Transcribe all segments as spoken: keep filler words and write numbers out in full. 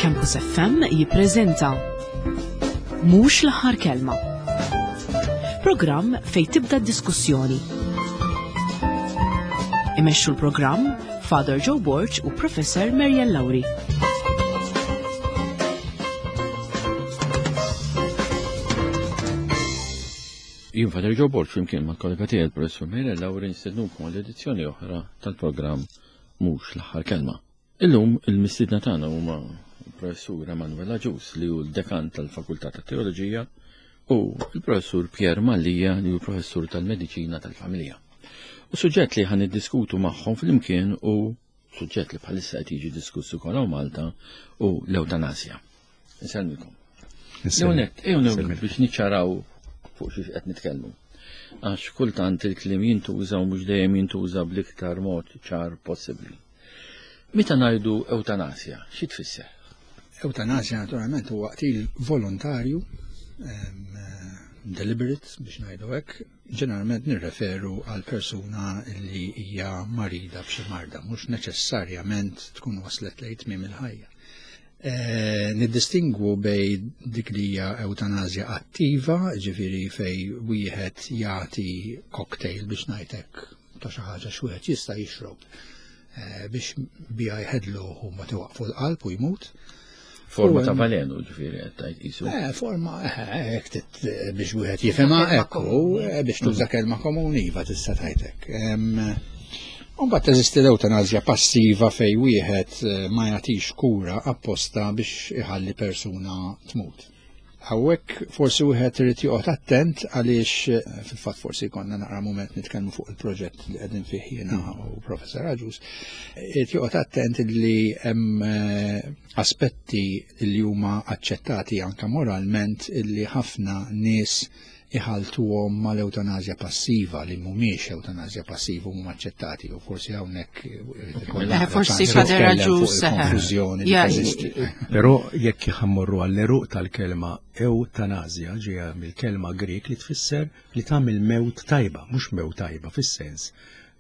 Campus F M jippreżenta Mhux l-aħħar kelma. Programm fejn tibda d-diskussjoni. Imexxu l-programm Father Joe Borg u Professor Marian Lauri. Jien Father Joe Borg flimkien mal-kollega tiegħi il-Professur Marian Lauri nistednukom għal edizzjoni oħra tal-programm Mhux l-aħħar kelma. Illum il-mistiedna tagħna huma il-Professur Emanuel Agius li hu l-dekan tal-Fakultà tat-Teoloġija u l-Professur Pierre Mallia li hu professur tal-Mediċina tal-Familja. U suġġett li ħan niddiskutu magħhom flimkien u suġġett li bħalissa qed jiġi diskuss ukoll hawn Malta u l-ewtanasja. Insellmilkom. Leonet, ejjew biex niċċaraw fuq xiex qed nitkellmu. Għax kultant il-kliem jintuża u mhux dejjem jintuża bl-iktar mod ċar possibbli. Meta ngħidu ewtanasja, xi tfisser? Ewtanasja naturalment huwa qtil volontarju, deliberate biex ngħidu hekk, ġeneralment nirreferu għal persuna li hija marida b'xi marda, mhux neċessarjament tkun waslet lejn tmiem il-ħajja. Eh, niddistingwu bej dik li hija ewtanasja attiva, ġifieri fej wieħed jagħti cocktail biex ngħidlek ta' xi ħaġa x'wieħed jista' jixrob biex biha jħedlu u ma tiwaqfu l-qalb u jmut. Forma ta' valenu, ġifieri qed tgħid qisu. Eh, forma hekk biex wieħed jifhimha hekk biex tuża kelma komuni iva tista' tgħid hekk. Imbagħad teżisti l-ewtanasja passiva fej wieħed ma jagħtix kura apposta biex iħalli persuna tmut. Hawnhekk forsi wieħed irid joqgħod attent għaliex fil-fatt forsi jkollna naqra mument nitkellmu fuq il-proġett li qegħdin fih jiena u Professor Agius, irid joqgħod attent li hemm aspetti li huma aċċettati anke moralment illi ħafna nies iħaltuhom mal-ewtanasja passiva li mhumiex ewtanasja passiva huma aċċettati u forsi hawnhekk forsi Father Agius konfużjoni li teżisti. Però jekk ħammorru għall-eruq tal-kelma ewtanasja ġejja mill-kelma Grek li tfisser li tagħmel mewt tajba, mhux mewt tajba fis-sens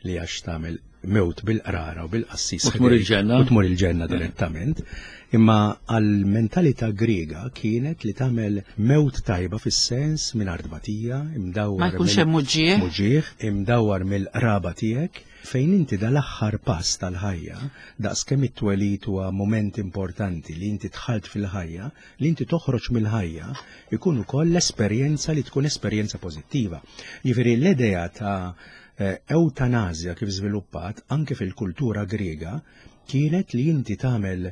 li għax tagħmel mewt bil-qrara u bil-qassis u tmur il-ġenna u tmur il-ġenna direttament, imma għall-mentalità Griega kienet li tagħmel mewt tajba fis-sens mingħajr tbatija, imdawwar ma jkunx hemm muġieħ, muġieħ, imdawwar mill-qraba tiegħek, fejn inti dal-aħħar pass tal-ħajja, daqskemm it-twelid huwa moment importanti li inti dħalt fil-ħajja, li inti toħroġ mill-ħajja, ikun ukoll l-esperjenza li tkun esperjenza pożittiva. Jiġifieri l-idea ta' eutanasja kif żviluppat anke fil-kultura Griega kienet li inti tagħmel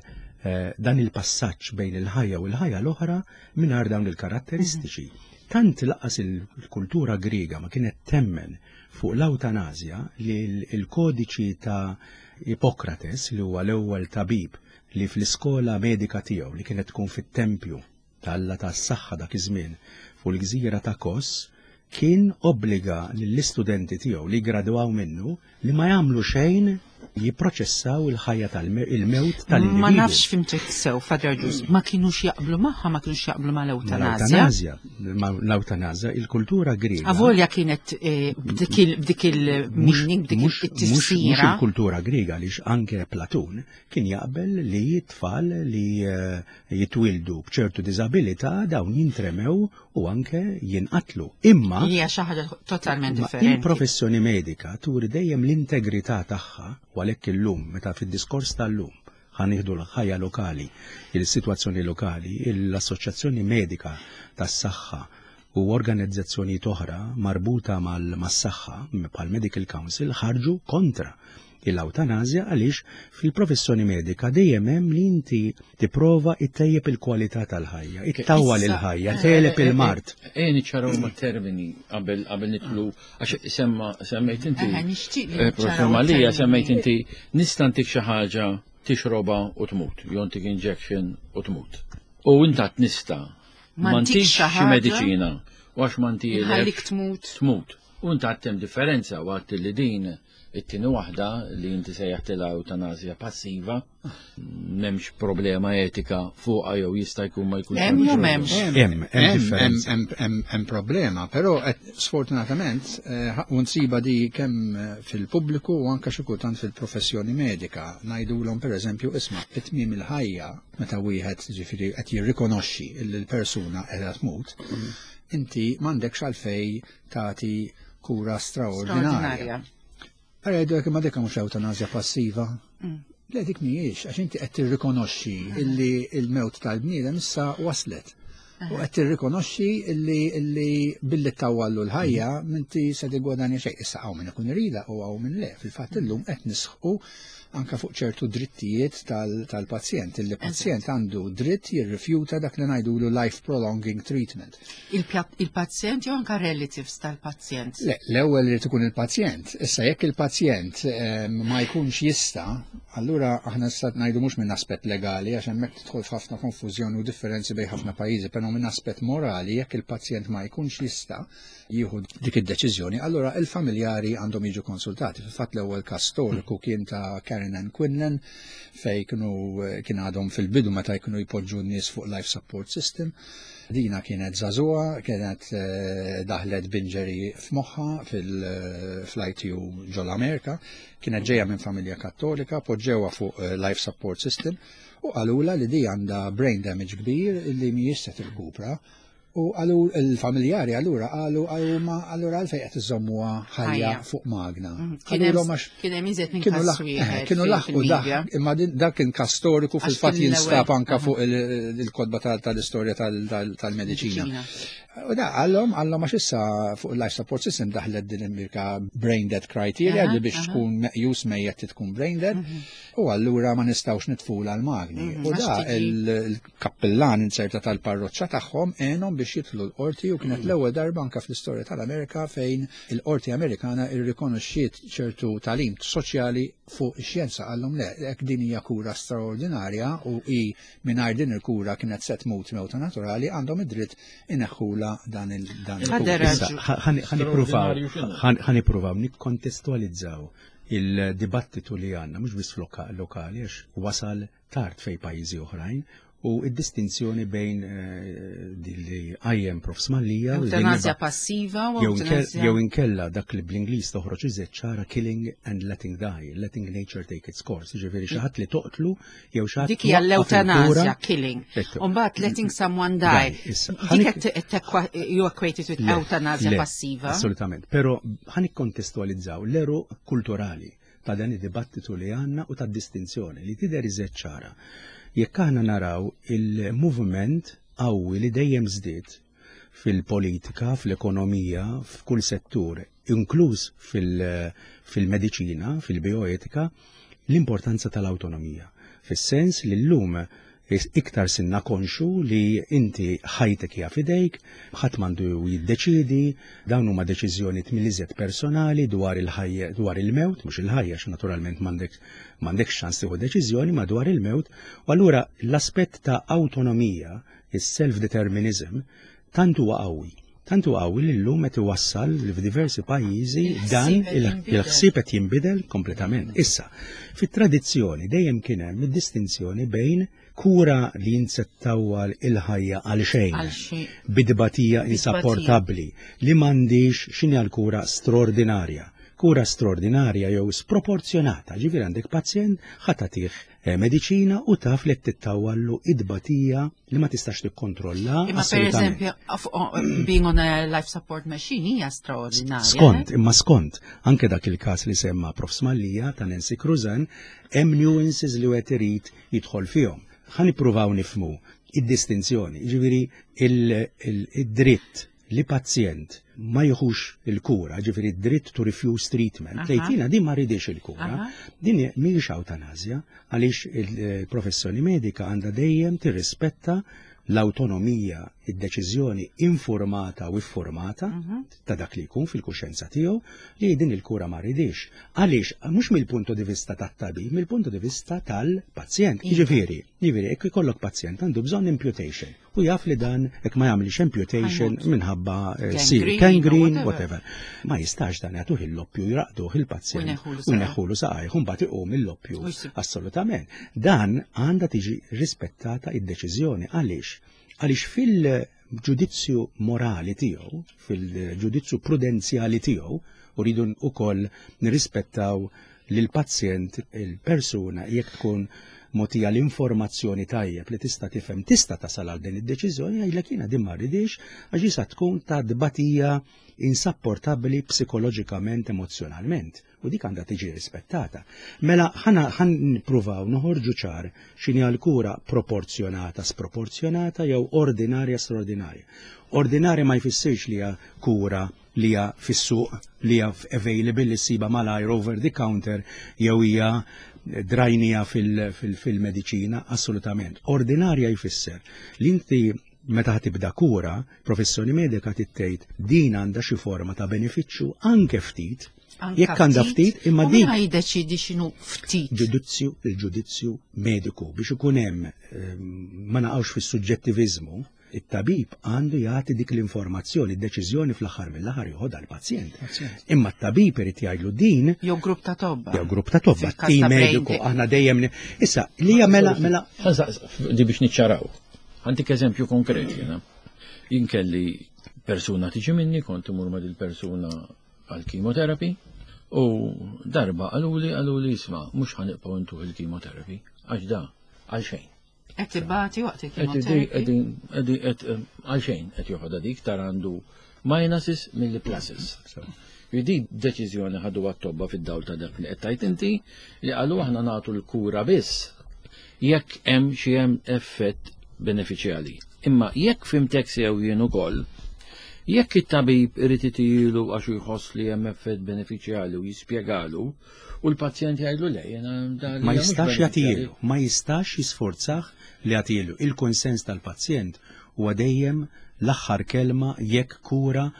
dan il-passaġġ bejn il-ħajja u l-ħajja l-oħra mingħajr dawn il-karatteristiċi. Tant laqas il-kultura Griega ma kienet temmen fuq l-eutanasja li l-kodiċi ta' Ippokrates, li huwa l-ewwel tabib li fl-iskola medika tiegħu li kienet tkun fit-tempju tal-Alla tas-saħħa dak iż-żmien fuq il-gżira ta' Kos, kien obbliga lill-istudenti tiegħu li gradwaw minnu li ma jagħmlu xejn jipproċessaw il-ħajja tal-mewt tal-individwu. Ma nafx fimtek sew, Father Agius, ma kinux jaqblu magħha, ma kinux jaqblu mal-ewtanasja. Mal-ewtanasja, il-kultura Griega. Avolja kienet b'dik il-meaning, b'dik it-tifsira. Mhux il-kultura Griega għaliex anke Platun kien jaqbel li t-tfal li jitwildu b'ċertu diżabilità dawn jintremew u anke jinqatlu. Imma hija xi ħaġa totalment differenti. Il-professjoni medika turi dejjem l-integrità tagħha u għalhekk illum meta fid-diskors tal-lum ħanieħdu l-ħajja lokali, il-sitwazzjoni lokali, l-Assoċjazzjoni Medika tas-Saħħa u organizzazzjonijiet oħra marbuta mas-saħħa bħal Medical Council ħarġu kontra l-ewtanasja għaliex fil-professjoni medika dejjem hemm li inti tipprova ittejjeb il-kwalità tal-ħajja, ittawwal il-ħajja, teleb il-mard. Ejja niċċaraw ma' termini qabel qabel nidħlu għax semma semmejt inti. Professor Mallia semmejt inti nista' ntik xi ħaġa tixroba u tmut, jew ntik injection u tmut. U inta nista' ma ntikx xi mediċina u għax ma ntielek tmut. Tmut. U inta hemm differenza waqt li din It-tieni waħda li inti sejjaħtilha ewtanasja passiva, m'hemmx problema etika fuqha jew jista' jkun ma jkunx Hemm jew problema. m'hemmx? Hemm, hemm differenza. Hemm- hemm hemm problema, però qed sfortunatament eh, u nsiba di kemm eh, fil-pubbliku u anke xi kultant fil-professjoni medika. Ngħidulhom pereżempju isma' it-tmiem il-ħajja meta wieħed ġifieri qed jirrikonoxxi li l-persuna qiegħda tmut, inti m'għandekx għalfej tagħti kura straordinarja. Straordinarja. Ara jgħidu jekk ma dik mhux ewtanasja passiva. Le dik mhijiex, għax inti qed tirrikonoxxi illi il-mewt tal-bniedem issa waslet. U qed tirrikonoxxi illi illi billi tawwallu l-ħajja m'inti se tiggwadanja xejn. Issa hawn min ikun irida u hawn min le. Fil-fatt illum qed nisħqu anka fuq ċertu drittijiet tal- tal-pazjent. Illi pazjent għandu dritt jirrifjuta dak li ngħidulu life prolonging treatment. Il-pja- Il-pazjent jew anka relatives tal-pazjent. Le, l-ewwel irid ikun il-pazjent. Issa jekk il-pazjent eh, ma jkunx jista', allura aħna issa ngħidu mhux minn aspett legali għax hemmhekk tidħol f'ħafna konfużjoni u differenzi bejn ħafna pajjiżi, però minn aspett morali jekk il-pazjent ma jkunx jista' jieħu dik id-deċiżjoni, allura il-familjari għandhom jiġu konsultati. Fil-fatt l-ewwel każ storiku kien ta' Karen Ann Quinlan fej kienu kien għadhom fil-bidu meta jkunu jpoġġu n-nies fuq life support system. Dina kienet żagħżugħa, kienet eh, daħlet b'injury f'moħħa fil-I T U ġol-Amerika, kienet ġeja minn familja kattolika, poġġewha fuq eh, life support system u qalula li di għandha brain damage kbir li mhijiex se tirkupra. U għalu il-familjari allura qalu qalu ma allura għalfejn qed iżommuha ħajja Ħajja. fuq magna. Mm, Kien Qalulhom hemm għax kien hemm iżjed minn kienu każ laħ- wieħed eh, kienu fil- laħqu dak, fil-media. imma din- dak kien każ storiku Għax fil-fatt kien l-ewwel- jinstab anka aha. fuq il- il-kotba tal- tal-istorja tal- tal- tal-mediċina. Mediċina. U da għallhom għallhom għax issa fuq il-life support system daħlet din il-mirka brain dead criteria Aha, li biex aha. tkun meqjus mejjet tkun brain dead u allura ma nistgħux nitfula l-magni. Mhm, U għax da tiġi- il- il-kappillan inserta tal-parroċċa tagħhom għenhom biex jidħlu l-qorti u kienet l-ewwel darba anka fl-istorja tal-Amerika fejn il-qorti Amerikana irrikonoxxiet ċertu tagħlim soċjali fuq ix-xjenza għallhom le, hekk din hija kura straordinarja u i mingħajr din il-kura kienet se tmut mewta naturali għandhom id-dritt ineħħula dan il dan il Ħader Issa, raġu. ħa- ħani- ħanipruvaw Straordinarju x'inhu? ħan- ħanipruvaw nikkontestualizzaw il-dibattitu li għandna, mhux biss loka- lokali, għax wasal tard fej pajjiżi oħrajn, u id-distinzjoni bejn eh, din li għajjem Prof Mallia u din li Ewtanasja ba- passiva u jew inkel- ewtanasja. jew inkella dak li bl-Ingliż toħroġ iżjed ċara killing and letting die, letting nature take its course, ġifieri xi ħadd li toqtlu jew xi ħadd Dik hija twaqqaf il-kura. l-ewtanasja, killing. Ekku. Umbagħad letting someone die. Die, issa. Dik Ħanik- qed tekwa- you equate it with Le, ewtanasja le, passiva. Assolutament. Però ħa nikkontestualizzaw l-għeruq kulturali ta' dan id-dibattitu li għandna u ta' distinzjoni li tidher iżjed ċara. Jekk aħna naraw il-movement qawwi li dejjem żdied fil-politika, fl-ekonomija, f'kull settur, inkluż fil- fil-mediċina, fil-bioetika, l-importanza tal-autonomija. Fis-sens li llum iktar sirna konxju li inti ħajtek hija fidejk, ħadd m'għandu jiddeċidi, dawn huma deċiżjonijiet mill-iżjed personali dwar il-ħajja dwar il-mewt, mhux il-ħajja għax naturalment m'għandek m'għandekx ċans tieħu deċiżjoni ma dwar il-mewt, u allura l-aspett ta' autonomija, is-self-determinism, tant huwa qawwi. Tant huwa qawwi li llum qed iwassal li f'diversi pajjiżi dan Il-ħsieb qed jinbidel. il-ħsieb qed jinbidel kompletament. Issa, fit-tradizzjoni dejjem kien hemm id-distinzjoni bejn kura li jinsettawal il-ħajja għal xejn Għal xejn. bidbatija Bidbatija. insapportabbli li m'għandix x'inhi l-kura straordinarja. Kura straordinarja jew sproporzjonata, ġifieri għandek pazjent ħa tagħtih eh, mediċina u taf li qed tittawallu id-batija li ma tistax tikkontrolla. Imma per assolutament. eżempju, of- oh, being on a life support machine hija straordinarja. Skont, imma skont, anke dak il-każ li semma Prof Mallia ta' Nancy Cruzan, hemm nuances li wieħed irid jidħol fihom. Ħa nippruvaw nifhmu id-distinzjoni, ġifieri il-dritt li pazjent ma jieħux il-kura, ġifieri dritt to refuse treatment, Aha. lejtina din ma rridix il-kura, Aha. din mhijiex ewtanasja, għaliex il-professjoni medika għandha dejjem tirrispetta l-autonomija, id-deċiżjoni informata u iffurmata ta' dak li jkun fil-kuxjenza tiegħu li din il-kura ma rridix. Għaliex mhux mill-punto di vista tat-tabib, mill-punto di vista tal-pazjent. Iva. Jiġifieri, jiġifieri, jekk ikollok pazjent għandu bżonn amputation u jaf li dan jekk ma jagħmilx amputation Ħajmut. minħabba eh, sir Gangrene, gangrene, whatever. whatever. Ma jistax dan jagħtuh il-loppju jraqduh il-pazjent U jneħħulu u saqajh. jneħħulu saqajh u mbagħad iqum il-loppju. U jsib- Assolutament. Dan għandha tiġi rispettata id-deċiżjoni. Għaliex? Għaliex fil-ġudizzju morali tiegħu, fil-ġudizzju prudenzjali tiegħu, u rridu ukoll nirrispettaw lil pazjent il-persuna jekk tkun mogħtija l-informazzjoni tajjeb li tista' tifhem tista' tasal għal din id-deċiżjoni jgħidlek jiena din ma rridix għax jista' tkun ta' tbatija insapportabbli psikoloġikament, emozjonalment. U dik għandha tiġi rispettata. Mela ħana ħan nippruvaw noħorġu ċar x'inhi l-kura proporzjonata, sproporzjonata jew ordinarja straordinarja. Ordinarja ma jfissirx li hija kura li hija fis-suq, li hija available li ssiba malajr over the counter jew hija drajnija fil-mediċina, assolutament. Ordinarja jfisser li inti meta tibda kura, professjoni medika tgħid din għandha xi forma ta' benefiċċju anke ftit, jekk għandha ftit, imma U dik min jiddeċidi x'inhu ftit? ġudizzju, il-ġudizzju mediku biex ikun hemm ehm, ma naqgħux fis-suġġettiviżmu, it-tabib għandu jagħti dik l-informazzjoni, id-deċiżjoni fl-aħħar mill-aħħar joħodha l-pazjent. Imma t-tabib irid jgħidlu din Jew grupp ta' tobba. jew grupp ta' tobba, Fil-każ tim ta' brain mediku, death. aħna dejjem ni- Issa, li hija mela mela Di biex niċċaraw. Ħa ntik eżempju konkret jena. Jien kelli persuna tiġi minni, kont imur ma' dil-persuna għal chemotherapy u darba qaluli qaluli isma' mhux ħa nibqgħu ntuh il-chemotherapy għax da għal xejn. Qed tibati waqt Qed il-chemotherapy. qegħdin qed għal xejn qed joħodha dik tar għandu minuses milli pluses. Di deċiżjoni ħadu għat-tobba fid-dawl ta' dak li qed tajt inti li qalu aħna nagħtu l-kura biss jekk hemm xi hemm effett benefiċjali. Imma jekk fhimtek sew jien ukoll, jekk it-tabib irid itilu għax jħoss li hemm effett benefiċjali u jispjegalu u l-pazjent jgħidlu le jiena dan ma li mhux jistax benefiċjali. jagħtilu, ma jistax jisforzah li jagħtilu. Il-konsens tal-pazjent huwa dejjem l-aħħar kelma jekk kura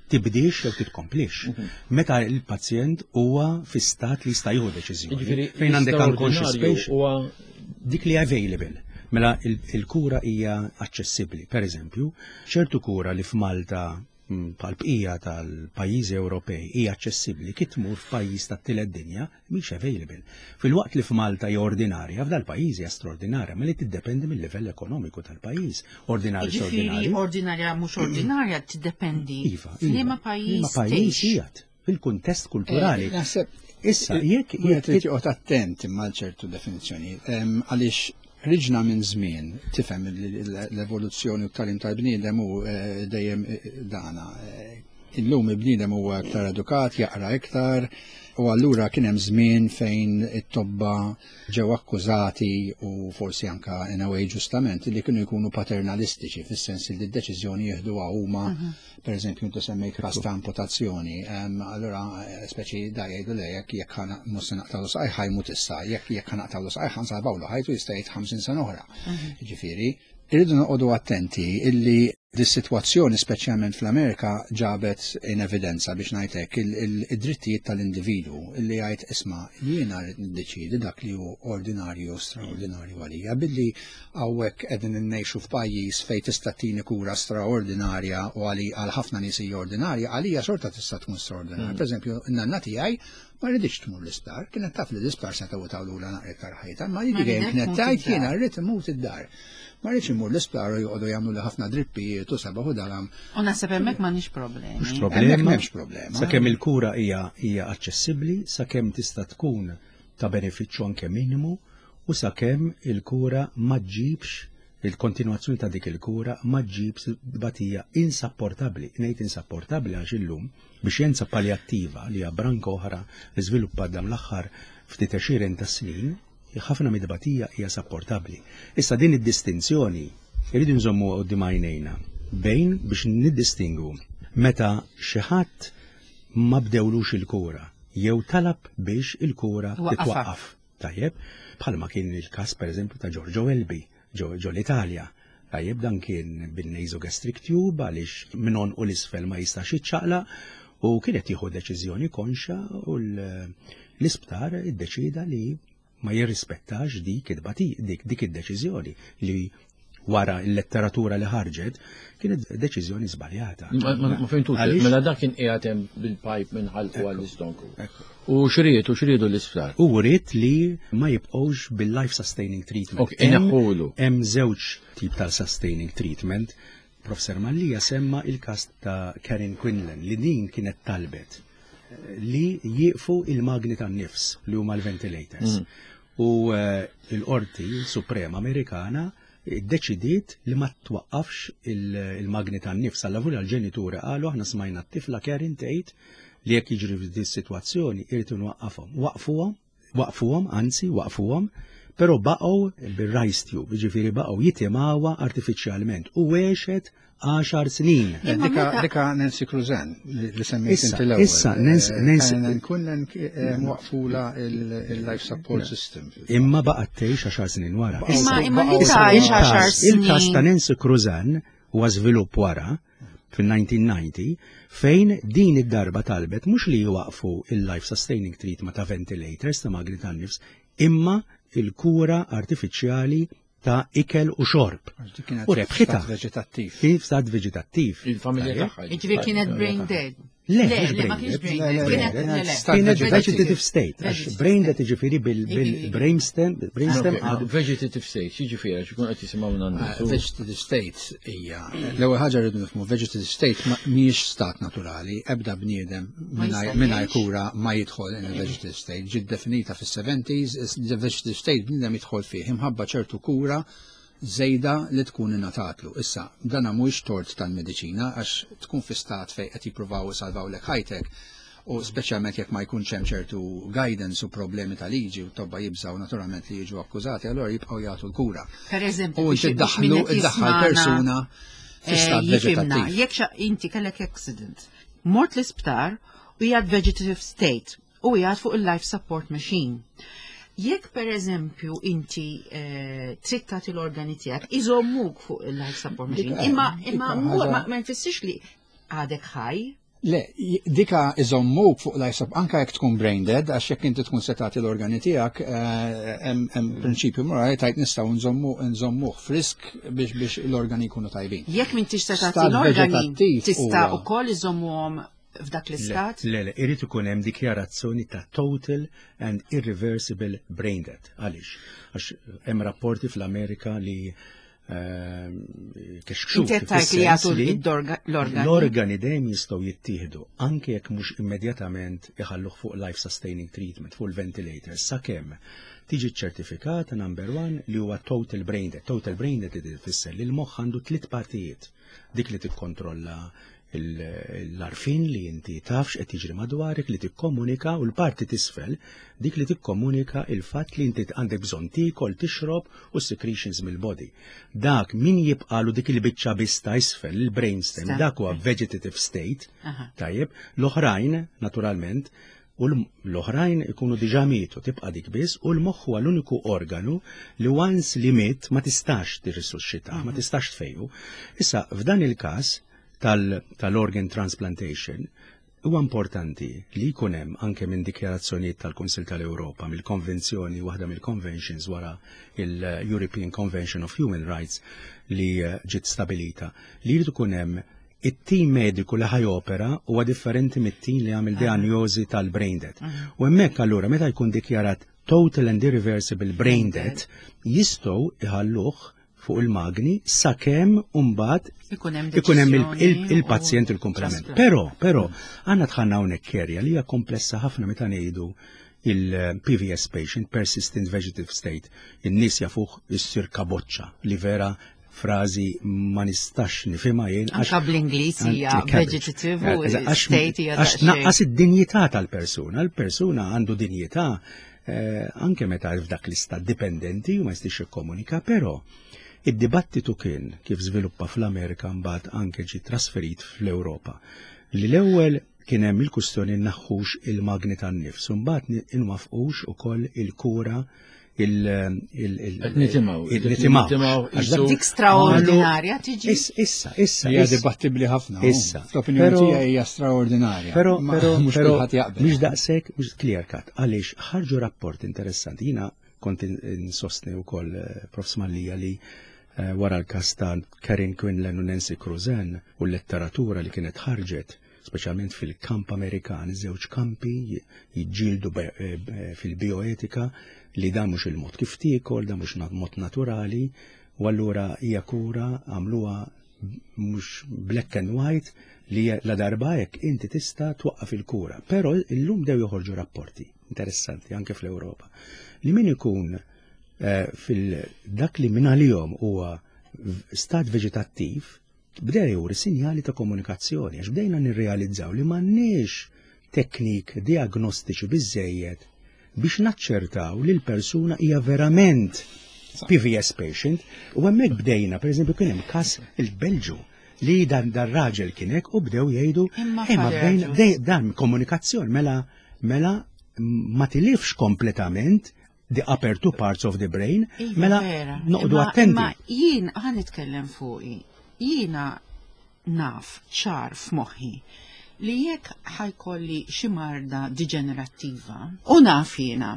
tibdix jew titkomplix. Meta il-pazjent huwa fi stat li jista' jieħu deċiżjoni. Jiġifieri, Fejn għandek unconscious l-istraordinarju patient, huwa dik li available. Mela il- il-kura hija aċċessibbli. Per eżempju, ċertu kura li f'Malta mm, bħal-bqija tal-pajjiżi Ewropej hija aċċessibbli kif tmur f'pajjiż tat-tielet dinja mhix available. Filwaqt li f'Malta hija ordinarja, f'dal-pajjiż hija straordinarja, ma li tiddependi mill-livell ekonomiku tal-pajjiż. Ordinarju Ġifieri straordinarju. ordinarja mhux ordinarja tiddependi. Iva, F'liema iva. pajjiż Liema pajjiż tgħix. qiegħed fil-kuntest kulturali. Eh, Naħseb Issa, jekk Wieħed jekk irid joqgħod attent imma ċertu definizzjoni. Em, Għaliex ħriġna minn żmien tifhem li l-evoluzzjoni u t-tagħlim tal-bniedem hu eh, dejjem eh, dana. Eh, Illum il-bniedem huwa iktar edukat, jaqra iktar, u allura kien hemm żmien fejn it-tobba ġew akkużati u forsi anka in a way ġustament li kienu jkunu paternalistiċi fis-sens li d-deċiżjoni jieħduha huma. Per eżempju, inti semmejt każ ta' amputazzjoni, em, allura eh, speċi da jgħidu le jekk jekk ħana mhux se naqtgħulu saqajh ħa jmut issa, jekk jekk ħa naqtgħulu saqajh ħa nsalvawlu ħajtu jista' jgħid ħamsin sena oħra. Ġifieri, irridu noqogħdu attenti illi dis-sitwazzjoni speċjalment fl-Amerika ġabet in evidenza biex ngħidlek il-drittijiet tal-individwu illi jgħid isma' jiena rrid niddeċiedi dak li hu ordinarju u straordinarju għalija billi hawnhekk qegħdin innejxu f'pajjiż fejn tista' tini kura straordinarja u għali għal ħafna nies hija ordinarja, għalija xorta tista' tkun straordinarja. Per eżempju, n-nanna tiegħi ma rridx tmur l-isptar, kienet taf li l-isptar se tawlula naqra iktar ħajta, ma li Ma dejjem ridet kienet tmut tgħid id-dar. jiena rrid immut id-dar. Ma rridx immur l-isptar u joqogħdu jagħmlu li ħafna drippijiet u sabaħ u dalam. U naħseb hemmhekk m'għandniex problemi. Mhux Hemmhekk problema. m'hemmx problema. Sakemm il-kura hija hija aċċessibbli, sakemm tista' tkun ta' benefiċċju anke minimu u sakemm il-kura ma ġġibx il-kontinuazzjoni ta' dik il-kura ma ġġibx batija insapportabbli. Ngħid insapportabbli għax illum bix-xjenza paljattiva li hija branka oħra li żviluppat dan l-aħħar ftit għexieren ta' snin, ħafna mid-batija hija sapportabbli. Issa din id-distinzjoni irridu nżommu quddiem għajnejna bejn biex niddistingu meta xi ħadd ma bdewlux il-kura jew talab biex il-kura Waqqafha. titwaqqaf. Tajjeb, bħalma kien il-każ pereżempju ta' Giorgio Welby ġo ġo l-Italja. Tajjeb, dan kien bin-nasogastric tube għaliex minn u l-isfel ma jistax jiċċaqlaq u kienet jieħu deċiżjoni konxa u l- l-isptar iddeċida li ma jirrispettax dik id-bati dik dik id-deċiżjoni li wara l-letteratura li ħarġet, kienet deċiżjoni żbaljata. Ma ma fhimtux, Għaliex? mela dak kien qiegħed hemm bil-pipe minn ħalqu għall-istonku. U xried, u xriedu l-isptar. U rrid li ma jibqgħux bil-life sustaining treatment. Ok, ineħħulu. Hemm żewġ tip tal sustaining treatment. Professor Mallia semma il-kas ta' Karen Quinlan li din kienet talbet eh, li jieqfu il-magni tan-nifs li huma l-ventilators. U eh, l-Qorti Suprema Amerikana deċidiet li ma twaqqafx il- il-magni tan-nifs. Alla l-ġenituri qalu aħna smajna t-tifla Karen tgħid li jekk jiġri f'din is-sitwazzjoni irid nwaqqafhom. Waqfuhom, waqfuhom, anzi waqfuhom, però baqgħu bil-Ryle's tube, jiġifieri baqgħu jitimgħuha artifiċjalment u għexet għaxar snin. Eh, Imma Dika, meta- dika Nancy Cruzan li li semmejt Issa, inti l-ewwel. issa, Nancy- Eh, Nancy- Karen Quinlan waqfula il-life support system. Imma baqgħet tgħix għaxar snin wara. Baqgħu- Imma imma li Issa, tgħix il-każ- għaxar Il-każ ta' snin. Nancy Cruzan huwa żvilupp wara fil-elf disa' mija u disgħin fejn din id-darba talbet mhux li jwaqfu il-life sustaining treatment ta' ventilators ta' magni tan-nifs, imma il-kura artifiċjali ta' ikel u xorb. Għax dik kienet U rebħitha. stat veġetattiv. Kien f'stat veġetattiv. Il-familja Tajjeb? tagħha. Jiġifieri kienet brain dead. Le, Le, mhux le, ma brain kienx dead. brain Le, dead. le, Kienet le, le, le. stat Kienet vegetative. vegetative state, għax Vegetative brain dead jiġifieri bil-brainstem, brainstem Ok, għadu Vegetative state, jiġifieri, għax ikun qed jisimgħuna Ah, n-nies. Vegetative state hija l-ewwel ħaġa rridu nifhmu vegetative state ma- mhijiex stat naturali, ebda bniedem Ma mingħajr jista' mingħajr jgħix. kura ma jidħol in a vegetative state. Ġiet definita fis-seventies, the vegetative state bniedem jidħol fih imħabba ċertu kura żejda li tkun ingħatatlu. Issa, dana mhuwiex tort tal-mediċina għax tkun fi stat fejn qed jippruvaw isalvawlek ħajtek u speċjalment jekk ma jkunx hemm ċertu guidance u problemi ta' liġi u tobba jibżaw naturalment li jiġu akkużati, allura jibqgħu jagħtu l-kura. Per eżempju, U biex- inti biex ddaħlu min qed iddaħħal jismana, persuna fi eh, stat jifhimna, veġetattiv. Jekk xa inti kellek accident, mort l-isptar u qiegħed vegetative state u qiegħed fuq il-life support machine. Jekk per eżempju inti eh, trid tagħti l-organi tiegħek, iżommuk fuq il-life support machine. Dika- Imma imma dika mhu- ħaġa- ma ma jfissirx li għadek ħaj. Le, j- dika iżommuk fuq life support, anka jekk tkun brain dead, għax jekk inti tkun se tagħti l-organi tiegħek, eh, hemm hemm prinċipju morali tajt nistgħu nżommu nżommuh frisk biex biex l-organi jkunu tajbin. Jekk m'intix se tagħti Stat l-organi, veġetattiv tista' huwa- ukoll iżommuhom f'dak l-istat. Le, le, irid ikun hemm dikjarazzjoni ta' total and irreversible brain death. Għaliex? Għax hemm rapporti fl-Amerika li ehm, kexxu. Inti qed tgħid li jagħtu id-dorga- l-organi. L-organi dejjem jistgħu jittieħdu anke jekk mhux immedjatament iħalluh fuq life sustaining treatment, fuq il-ventilator, sakemm tiġi ċertifikata number one li huwa total brain death. Total brain death tfisser li l-moħħ għandu tliet partijiet. Dik li tikkontrolla il- l-għarfien li inti tafx qed jiġri madwarek li tikkomunika u l-parti t'isfel dik li tikkomunika il-fatt li inti għandek bżonn tiekol, tixrob u secretions mill-body. Dak min jibqalu dik il-biċċa biss ta' isfel, il-brainstem, Stem. dak huwa vegetative state, Aha. tajjeb, l-oħrajn, naturalment, u l- l-oħrajn ikunu diġà mietu, tibqa' dik biss, u l-moħħ huwa l-uniku organu li once li miet ma tistax tirrisusxita, ma tistax tfejju. Issa, f'dan il-każ tal- tal-organ transplantation, huwa importanti li jkun hemm anke minn dikjarazzjonijiet tal-Kunsil tal-Ewropa, mill-konvenzjoni, waħda mill-conventions wara il-European Convention of Human Rights li eh, ġiet stabilita, li jrid ikun hemm it-tim mediku li ħa jopera huwa differenti mit-tim li għamel diagnosi tal-brain death. U hemmhekk allura meta jkun dikjarat total and irreversible brain death, jistgħu iħalluh fuq il-magni sakemm mbagħad Ikun hemm ikun hemm il- deċiżjoni il- il-pazjent u il-komplement. transplant. Però, però, għandna dħalna hawnhekk area li hija komplessa ħafna meta ngħidu il-P V S patient, persistent vegetative state, in-nies jafuh issir kaboċċa li vera frażi ma nistax nifhimha jien. għax- Anka bl-Ingliż hija Cabbage. vegetative u Eh, għax- state hija Għax daqsxejn. naqqas id-dinjità tal-persuna. Il-persuna għandu dinjità eh, anke meta f'dak l-istat dipendenti u ma jistax jikkomunika, però id-dibattitu kien kif żviluppa fl-Amerika, mbagħad anke ġi trasferit fl-Ewropa. Li l-ewwel kien hemm il-kustjoni naħħux il-magni tan-nifs, u mbagħad inwafqux ukoll il-kura il- il- il- Qed nitimgħu. il- nitimgħu. Nitimgħu, Għax dak- qisu- Dik straordinarja tiġi. Issa, issa, issa. Hija issa. dibattibbli ħafna. Issa. L-opinjoni Però- tiegħi hija straordinarja. Però, Ma però, mhux però, kulħadd jaqbel. mhux daqshekk, mhux clear cut. Għaliex ħarġu rapport interessanti. Jiena kont in- insostni wkoll eh, Profs Mallia li eh, wara l-każ ta' Karen Quinlan u Nancy Cruzan u l-letteratura li kienet ħarġet, speċjalment fil-kamp Amerikan, żewġ kampi jiġġieldu eh, fil-bioetika li dan mhux il-mod kif tiekol, dan mhux mod naturali, u allura hija kura għamluha mhux black and white li la darba hekk inti tista' twaqqaf il-kura. Però illum bdew joħorġu rapporti interessanti anke fl-Ewropa li min ikun eh, fil-dak li minn għalihom huwa stat veġetattiv bdew juri sinjali ta' komunikazzjoni, għax bdejna nirrealizzaw li m'għandniex teknik diagnostiċi biżejjed biex naċċertaw li l-persuna hija verament P V S patient. U hemmhekk bdejna, per eżempju, kien hemm każ il-Belġu li dan dar raġel kien hekk u bdew jgħidu Imma "Eh, ma Father bdejna Agius." bdej- dan komunikazzjoni mela mela ma tilifx kompletament the upper two parts of the brain, Iva, mela vera. noqdu Imma- attenti. Imma jien ħa nitkellem fuqi. Jiena naf ċar f'moħħi li jekk ħa jkolli xi marda diġenerattiva u naf jiena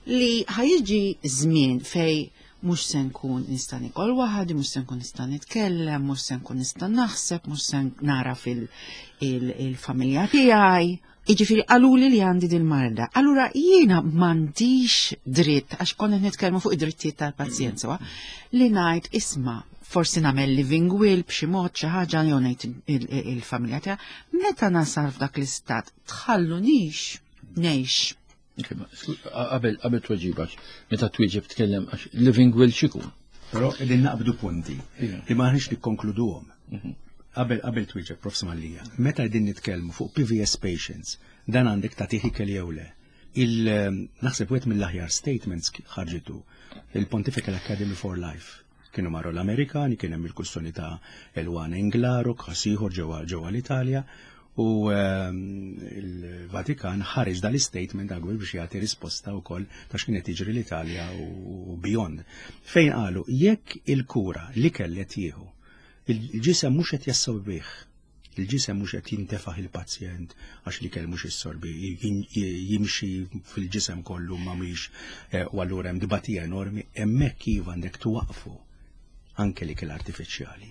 li ħa jiġi żmien fej mhux se nkun nista' nikol waħdi, mhux se nkun nista' nitkellem, mhux se nkun nista' naħseb, mhux se nara fil-familja tiegħi. Iġifieri qaluli li għandi dil-marda. Allura jiena m'għandix dritt, għax konna nitkellmu fuq id-drittijiet tal-pazjent sewa, li ngħid, isma', forsi nagħmel living will b'xi mod, xi ħaġa, jew ngħid il- il- il-familja tiegħi, meta nasal f'dak l-istat, tħallunix ngħix. Qabel qabel tweġiba, meta twieġeb tkellem, għax living will x'ikun? Però qegħdin naqbdu punti Ija. li ma ħniex nikkonkluduhom. Qabel qabel twieġeb, Profs Mallia, meta qegħdin nitkellmu fuq P V S patients, dan għandek tagħtih ikel jew le. Il naħseb wieħed mill-aħjar statements ħarġitu il-Pontifical Academy for Life. Kienu marru l-Amerikani, kien hemm il-kwistjoni ta' Eluana Englaro, każ ieħor ġewwa ġewwa l-Italja, u ehm, il-Vatikan ħareġ dal-statement għagwil biex jagħti risposta wkoll ta' x'kien qed jiġri l-Italja u beyond. Fejn qalu jekk il-kura li kellet jieħu il-ġisem mhux qed jassorbih, il-ġisem mhux qed jintefaħ il-pazjent għax li kell mhux jissorbi, jimxi fil-ġisem kollu ma mhix eh, u allura hemm dibatija enormi, hemmhekk iva għandek tuwaqfu anke l-ikel artifiċjali.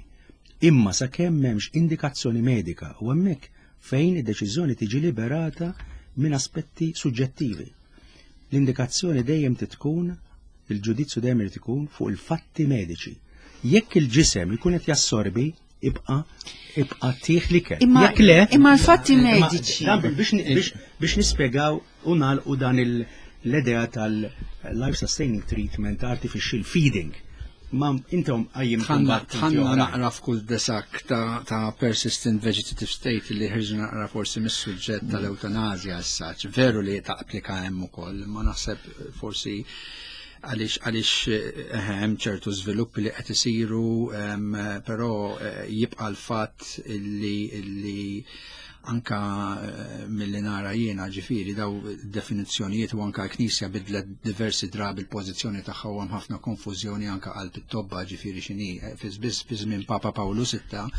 Imma sakemm m'hemmx indikazzjoni medika, u hemmhekk fejn id-deċiżjoni tiġi liberata minn aspetti suġġettivi. L-indikazzjoni dejjem titkun, il-ġudizzju dejjem irid ikun fuq il-fatti mediċi. Jekk il-ġisem ikun qed jassorbi, ibqa ibqa tih l-ikel. Imma- Jekk le, imma l-fatti imma mediċi. dan biex biex biex nispjegaw u nagħlqu dan il- l-idea tal-life sustaining treatment, artificial feeding. Ma intom għajjim Tħanna tħanna naqra f'kull desak ta', ta' persistent vegetative state li ħirġu naqra forsi mis-suġġett tal-eutanazja issa. Veru li ta' applika hemm ukoll, ma naħseb forsi għaliex għaliex eh, hemm ċertu żviluppi li qed isiru, em, però eh, jibqa' l-fatt illi illi anka eh, mill-li nara jiena, ġifieri daw definizzjonijiet u anka l-Knisja bidlet diversi drabi l-pożizzjoni tagħha u hemm ħafna konfużjoni anka qalb it-tobba, ġifieri x'inhi. Fi biss fi żmien Papa Pawlu Sitta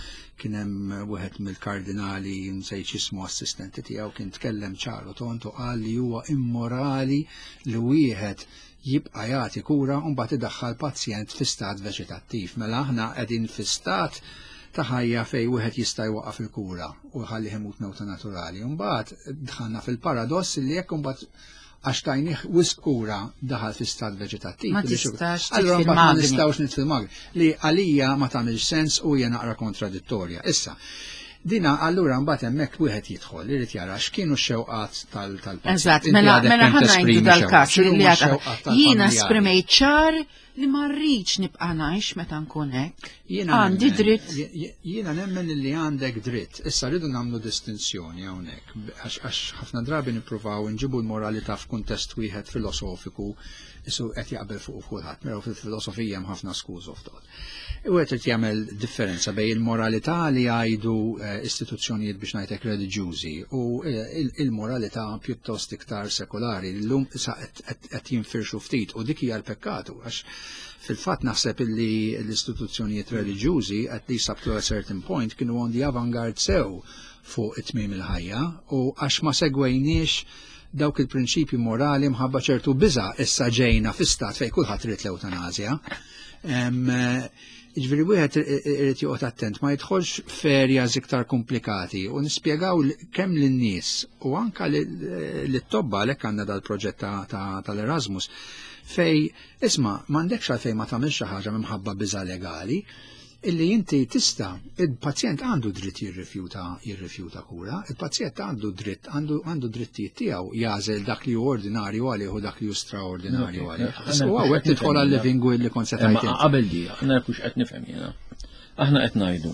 kien hemm wieħed mill-kardinali, nsejt ismu, assistenti tiegħu kien tkellem ċaru tontu, qal li huwa immorali li wieħed jibqa' jagħti kura u mbagħad idaħħal pazjent fi stat veġetattiv. Mela aħna qegħdin fi stat ta' ħajja fej wieħed jista' jwaqaf il-kura u jħalli imut mewta naturali. Mbagħad dħalna fil-paradoss li jekk imbagħad għax tajnih wisq kura daħal fi stat veġetattiv. Ma li xi- tistax Allura titfi mbagħad ma l-magni. nistgħux nitfi l-magni. Li għalija ma tagħmilx sens u hija naqra kontradittorja. Issa, dina allura mbagħad hemmhekk wieħed jidħol irid jara x'kienu x-xewqat tal- tal-pazjent. Eżatt, Inti mela għadek mela kemm ħa ngħidu tesprimi dal-każ xewqa. li X'inhuma għadha. x-xewqat Jiena tal-familjari? esprimejt ċar li ma rridx nibqa' ngħix meta nkun hekk. Jiena Għandi nemmen- dritt. je- je- Jiena nemmen li għandek dritt. Issa rridu nagħmlu distinzjoni hawnhekk għax għax ħafna drabi nippruvaw nġibu l-moralità f'kuntest wieħed filosofiku isu qed jaqbel fuq kulħadd, però fil-filosofija hemm ħafna schools of thought. Wieħed irid jagħmel differenza bejn il-moralità li jgħidu eh, istituzzjonijiet, biex ngħidlek, reliġjużi u eh, il- il-moralità pjuttost iktar sekolari. Llum issa qed- qed qed jinfirxu ftit u dik hija l-pekkatu, għax fil-fatt naħseb illi l-istituzzjonijiet reliġjużi, at least up to a certain point, kienu on the avant-garde sew fuq it-tmiem il-ħajja u għax ma segwejniex dawk il-prinċipji morali mħabba ċertu biża, issa ġejna fi stat fej kulħadd irid l-eutanazja. Ġifieri wieħed irid joqgħod attent ma jidħolx f'areas iktar komplikati u nispjegaw kemm lin-nies u anka lit-tobba, għalhekk għandna dal-proġett tal-Erasmus, fej isma' m'għandekx għalfejn ma tagħmilx xi ħaġa minħabba biża' legali, illi inti tista', il-pazjent għandu dritt jirrifjuta jirrifjuta kura, il-pazjent għandu dritt, għandu għandu drittijiet tiegħu jagħżel dak li hu ordinarju għalih u dak li hu straordinarju għalih. U hawnhekk tidħol għal living will li kont se tgħid. Qabel di, aħna kux qed nifhem jiena. Aħna qed ngħidu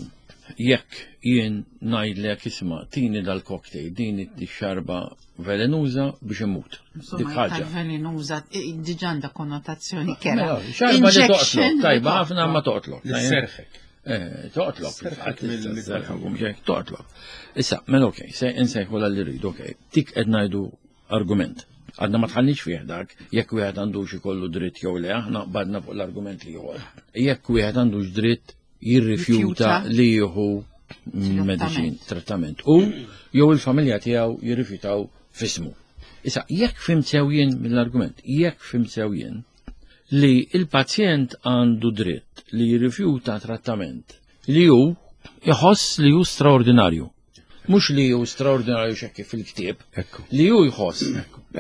jekk jien ngħidlek isma' tini dal-cocktail, din ix-xarba velenuża biex immut. Dik ħaġa. Velenuża diġà għandha konnotazzjoni kera. Xarba li toqtlok, tajba ħafna ma toqtlok. Serħek. Toqtlok. Toqtlok. Issa, mela okej, se insejħu li rridu, okej. Tik qed ngħidu argument. Għadna ma tħallniex fih dak, jekk wieħed għandux ikollu dritt jew le, aħna badna fuq l-argument li ieħor. Jekk wieħed għandux dritt jirrifjuta li jieħu medicin, trattament. U jew il-familja tiegħu jirrifjutaw fismu. Issa, jekk fhimt sew jien mill-argument, jekk fhimt sew jien li il-pazjent għandu dritt li jirrifjuta trattament li hu jħoss li hu straordinarju. Mhux li hu straordinarju xekki fil-ktieb, li hu jħoss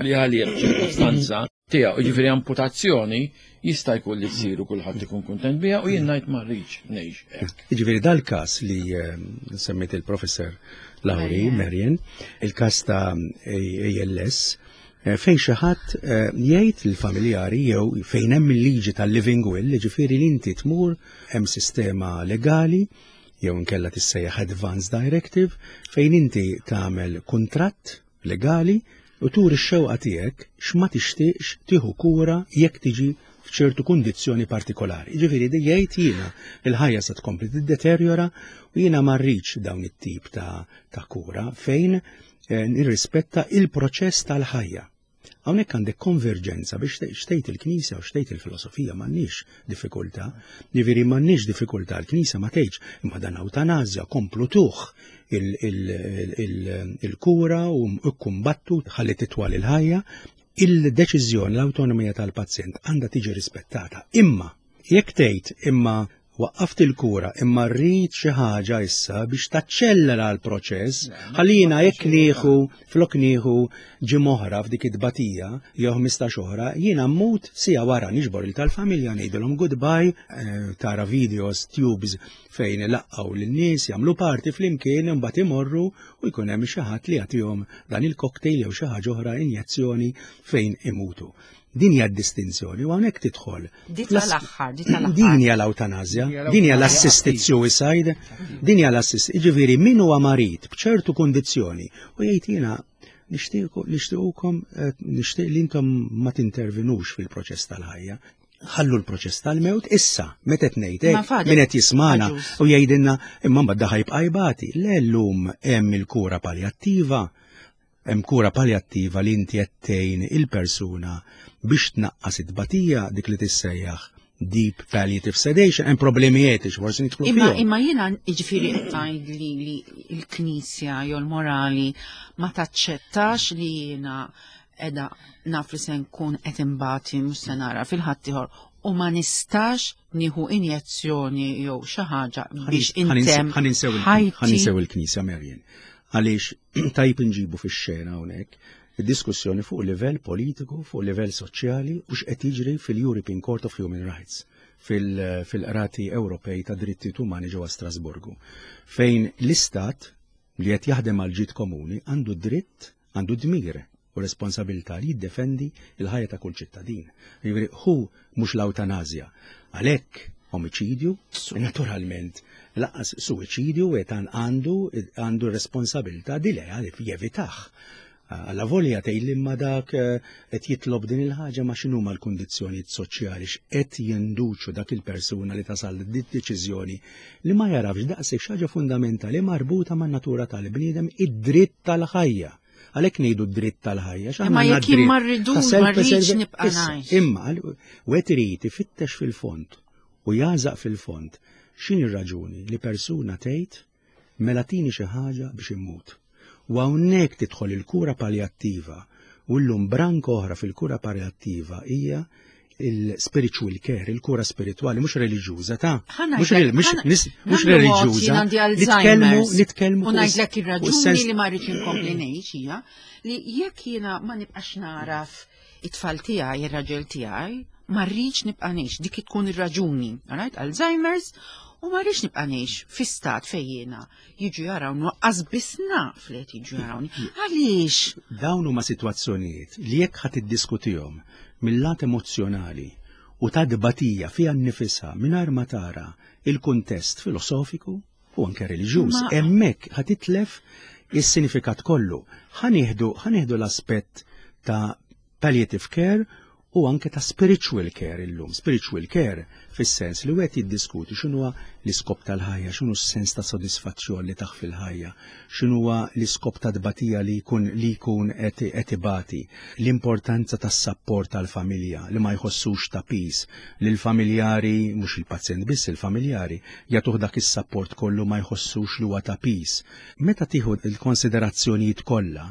li għalih ċirkostanza tiegħu, jiġifieri amputazzjoni jista' jkun li ssiru kulħadd ikun kuntent biha u jien ngħid ma rridx ngħix hekk. Jiġifieri dal-każ li semmejt il-Professor Lauri Marian, il-każ ta' A L S, fejn xi ħadd jgħid lill-familjari jew fejn hemm il-liġi tal-living will, jiġifieri li inti tmur hemm sistema legali jew inkella tissejjaħ Advance Directive fejn inti tagħmel kuntratt legali u turi x-xewqa tiegħek x'ma tixtieqx tieħu kura jekk tiġi f'ċertu kundizzjoni partikolari. Jiġifieri di jgħid jiena il-ħajja se tkompli tiddeterjora u jiena ma rridx dawn it-tip ta', ta' kura fejn eh, nirrispetta il-proċess tal-ħajja. Hawnhekk għandek konverġenza biex xtejt il-Knisja u xtejt il-filosofija m'għandniex diffikultà. Jiġifieri m'għandniex diffikultà, l-Knisja ma tgħidx imma dan ewtanasja komplu tuh il-kura u kkumbattu ħalli titwal il-ħajja. Il-deċiżjoni, l-awtonomija tal-pazjent għandha tiġi rispettata. Imma jekk tgħid imma waqqaft il-kura imma rrid xi ħaġa issa biex taċċellera l-proċess, ħallina jekk nieħu flok nieħu ġimgħa oħra f'dik it-tbatija jew ħmistax oħra, jiena mmut sija wara niġbor il tal-familja ngħidilhom goodbye, tara videos, tubes fejn ilaqgħu lin-nies jagħmlu parti flimkien imbagħad imorru u jkun hemm xi ħadd li jagħtihom dan il-cocktail jew xi ħaġa oħra injezzjoni fejn imutu. Din hija d-distinzjoni u hawnhekk tidħol. Di tal-aħħar, di tal-aħħar. Din hija l-awtanasja, din hija l-assisted suicide, din hija l-assist. Jiġifieri min huwa marid b'ċertu kundizzjoni u jgħid jiena nixtiequkom nixtieq li intom ma tintervenux fil-proċess tal-ħajja. Ħallu l-proċess tal-mewt issa, meta qed ngħid hekk, min qed jismana u jgħidilna imma mbagħad daħ jibqa' jbati. Le llum hemm il-kura paljattiva, hemm kura paljattiva li inti qed tgħin il-persuna biex tnaqqas it-tbatija dik li tissejjaħ deep palliative sedation, hemm problemi etiċi forsi nidħlu fihom. Imma jiena jiġifieri qed tgħid li l-Knisja jew l-morali ma taċċettax li jiena qiegħda naf li se nkun qed imbati mhux se nara fil-ħaddieħor u ma nistax nieħu injezzjoni jew xi ħaġa biex intem. Ħaninsew il-Knisja Marian. Għaliex tajb inġibu fix-xena hawnhekk id-diskussjoni fuq livell politiku, fuq livell soċjali u x'qed jiġri fil-European Court of Human Rights, fil-qrati Ewropej ta' drittijiet umani ġewwa Strasburgu, fejn l-Istat li qed jaħdem għal ġid komuni għandu dritt, għandu dmir u responsabilità li jiddefendi l-ħajja ta' kull ċittadin. Jiġifieri hu mhux l-awtanasja. Għalhekk omiċidju, naturalment, lanqas suwiċidju etan għandu għandu responsabilità di lejha li jevitaħ. Alla volja tgħid li imma dak qed jitlob din il-ħaġa ma x'inhuma l-kundizzjonijiet soċjali x'qed jinduċu dak il-persuna li tasal din deċiżjoni li ma jarafx daqshekk xi ħaġa fundamentali marbuta man-natura tal-bniedem, id-dritt tal-ħajja. Għalhekk ngħidu d-dritt tal-ħajja. Imma jekk jien ma rridux ma rridx nibqa' ngħix. Imma wieħed irid ifittex fil-fond u jażaq fil-fond x'inhi r-raġuni li persuna tgħid mela tini xi ħaġa biex immut. U hawnhekk tidħol il-kura paljattiva u llum branka oħra fil-kura paljattiva hija Il-spiritual care, il-kura spirituali, mhux reliġjuża ta' mhux mhux reliġjuża. Nitkellmu, nitkellmu. U ngħidlek ir-raġuni li ma rridx inkompli ngħix hija li jekk jiena ma nibqax naraf it-tfal tiegħi, ir-raġel tiegħi, ma rridx nibqa' ngħix, dik tkun ir-raġuni. Alright, Alzheimer's, u ma rridx nibqa' ngħix fi stat fejn jiena jiġu jarawni, waqqas biss naf li qed jiġu jarawni. Għaliex? Dawn huma sitwazzjonijiet li jekk ħadd iddiskutihom mill-lat emozzjonali u ta' dbatija fiha nnifisha mingħajr ma tara il-kuntest filosofiku u anke reliġjuż, hemmhekk ħa titlef is-sinifikat kollu. Ħa nieħdu ħa nieħdu l-aspett ta' palliative care u anke ta' spiritual care illum. Spiritual care fis-sens li wieħed jiddiskuti x'inhuwa l-iskop tal-ħajja, x'inhu s-sens ta' sodisfazzjon li taħ fil-ħajja, x'inhuwa l-iskop ta' tbatija li jkun li jkun qed ibati, l-importanza tas-sapport tal-familja li ma jħossux ta' piż, li l-familjari, mhux il-pazjent biss, il-familjari jagħtuh dak is-sapport kollu ma jħossux li huwa ta' piż. Meta tieħu l-konsiderazzjonijiet kollha,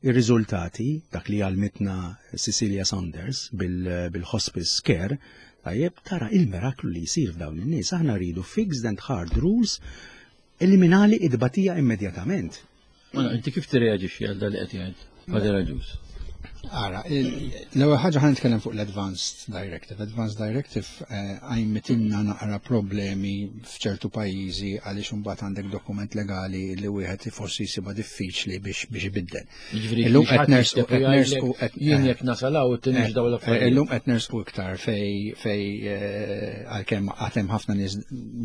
ir-riżultati, dak li għalmitna Cecilia Saunders bil-hospice care, tajjeb, tara il-miraklu li jisir f'dawn in-nies. Aħna rridu fixed and hard rules, eliminali id-batija immedjatament. Mela, inti kif tirreaġixxi għal dak li qed jgħid Father Agius? Ara, l-ewwel ħaġa ħa nitkellem fuq l-Advanced Directive. Advanced Directive għajmitilna naqra problemi f'ċertu pajjiżi għaliex imbagħad għandek dokument legali li wieħed forsi jsibha diffiċli biex biex ibiddel. Illum qed nersqu qed nersqu qed jien jekk nasalaw it-tieni dawn l-affarijiet. Illum qed nersqu iktar fej fej għalkemm għad hemm ħafna nies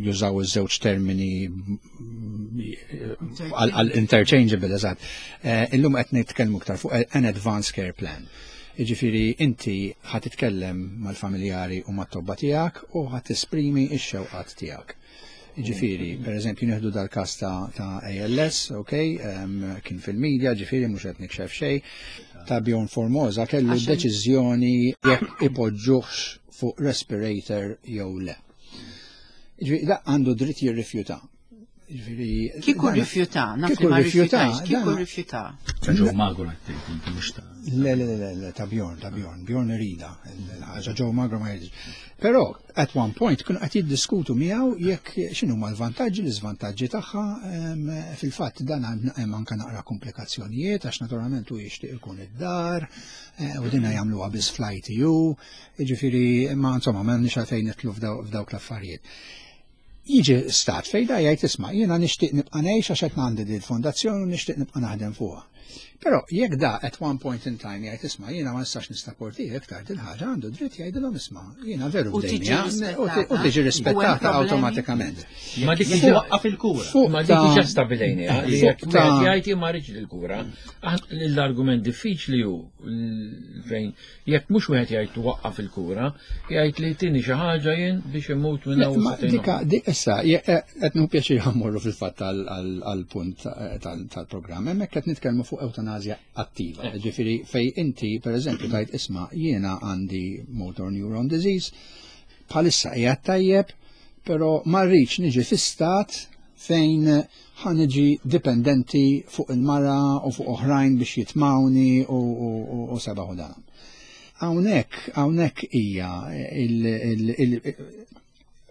jużaw iż-żewġ termini għal interchangeable, eżatt. Illum qed nitkellmu iktar fuq an advanced care plan. Jiġifieri inti ħa titkellem mal-familjari u mat-tobba tiegħek u ħa tesprimi x-xewqat tiegħek. Jiġifieri, per eżempju, nieħdu dal-każ ta' A L S, ok, kien fil-medja, ġifieri mhux qed nikxef xejn, ta' Bjorn Formosa kellu deċiżjoni jekk ipoġġuhx fuq respirator jew le. Ġifieri, da għandu dritt jirrifjuta. Kieku rifjuta, naf li ma rifjutax, kieku rifjuta. Ta' Joe Magro għattejt, inti mhux ta' Le, le, le, le, ta' Bjorn, ta' Bjorn, Bjorn irida, ħaġa Joe Magro ma jridx. Però, at one point, kienu qed jiddiskutu miegħu jekk x'inhu ma l-vantaġġi, l-iżvantaġġi tagħha, fil-fatt dan hemm anke naqra komplikazzjonijiet għax naturalment hu jixtieq ikun id-dar, u dinha jagħmluha biss fl-I T U, jiġifieri ma insomma m'għandniex għalfejn nidħlu f'dawk l-affarijiet. Jiġi stat fejn da jgħid, "Isma', jiena nixtieq nibqa' ngħix għax qed għandi din il-fondazzjoni u nixtieq nibqa' naħdem fuqha." Però jekk da at one point in time jgħid, "Isma', jiena ma nistax nissaporti iktar din ħaġa", għandu dritt jgħidilhom, "Isma', jiena veru bdejnija", u tiġi rispettata awtomatikament. Ma dik waqqaf il-kura. Ma dik diġà stabilejniha li jekk jgħid ma rridx il-kura. L-argument diffiċli hu fejn jekk mhux wieħed jgħid waqqaf il-kura, jgħid li tini xi ħaġa jien biex imut minn hawn. Dika, issa, qed nieħu pjaċir mmorru fil-fatt għal-punt tal-programm. Hemmhekk qed nitkellmu fuq eutanazja attiva. Ġifieri fej inti, per eżempju, tgħid, "Isma', jiena għandi motor neuron disease, bħalissa qiegħed tajjeb, però ma rridx niġi fi stat fejn ħa niġi dipendenti fuq il-mara u fuq oħrajn biex jitmawni u, u, u, u sabaħu dan." Hawnhekk, hawnhekk hija il, il,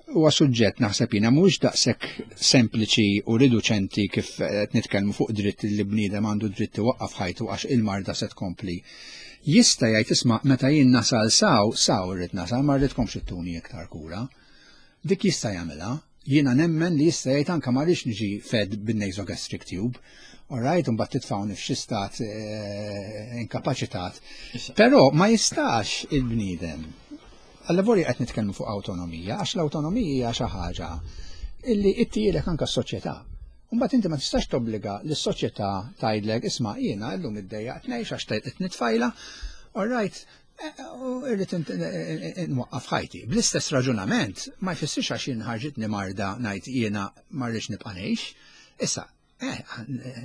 huwa suġġett naħseb jiena mhux daqshekk sempliċi u riduċenti kif qed nitkellmu fuq dritt li bniedem għandu dritt iwaqqaf ħajtu għax il-marda se tkompli. Jista' jgħid, "Isma', meta jien nasal s'hawn, s'hawn irrid nasal, ma rridkomx ittuni iktar kura." Dik jista' jagħmilha. Jiena nemmen li jista' jgħid anke ma rridx niġi fed bin-nasogastric tube. All right, mbagħad titfawni f'xi stat eh, inkapaċitat. Però ma jistax il-bniedem. Allavolja qed nitkellmu fuq awtonomija, għax l-awtonomija hija xi ħaġa illi ittihielek anke s-soċjetà. Mbagħad inti ma tistax tobbliga lis-soċjetà tgħidlek, "Isma', jiena llum iddejjaqt ngħix għax qed nitfajla, all right, eh, u irrid nwaqqaf ħajti." Bl-istess raġunament ma jfissirx għax jien ħarġitni marda ngħid jiena ma rridx nibqa' ngħix. Issa, Eh,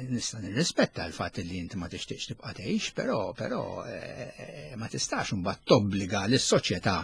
nista' nirrispetta l-fatt li inti ma tixtieqx tibqa' tgħix, però però eh, ma tistax imbagħad tobbliga lis-soċjetà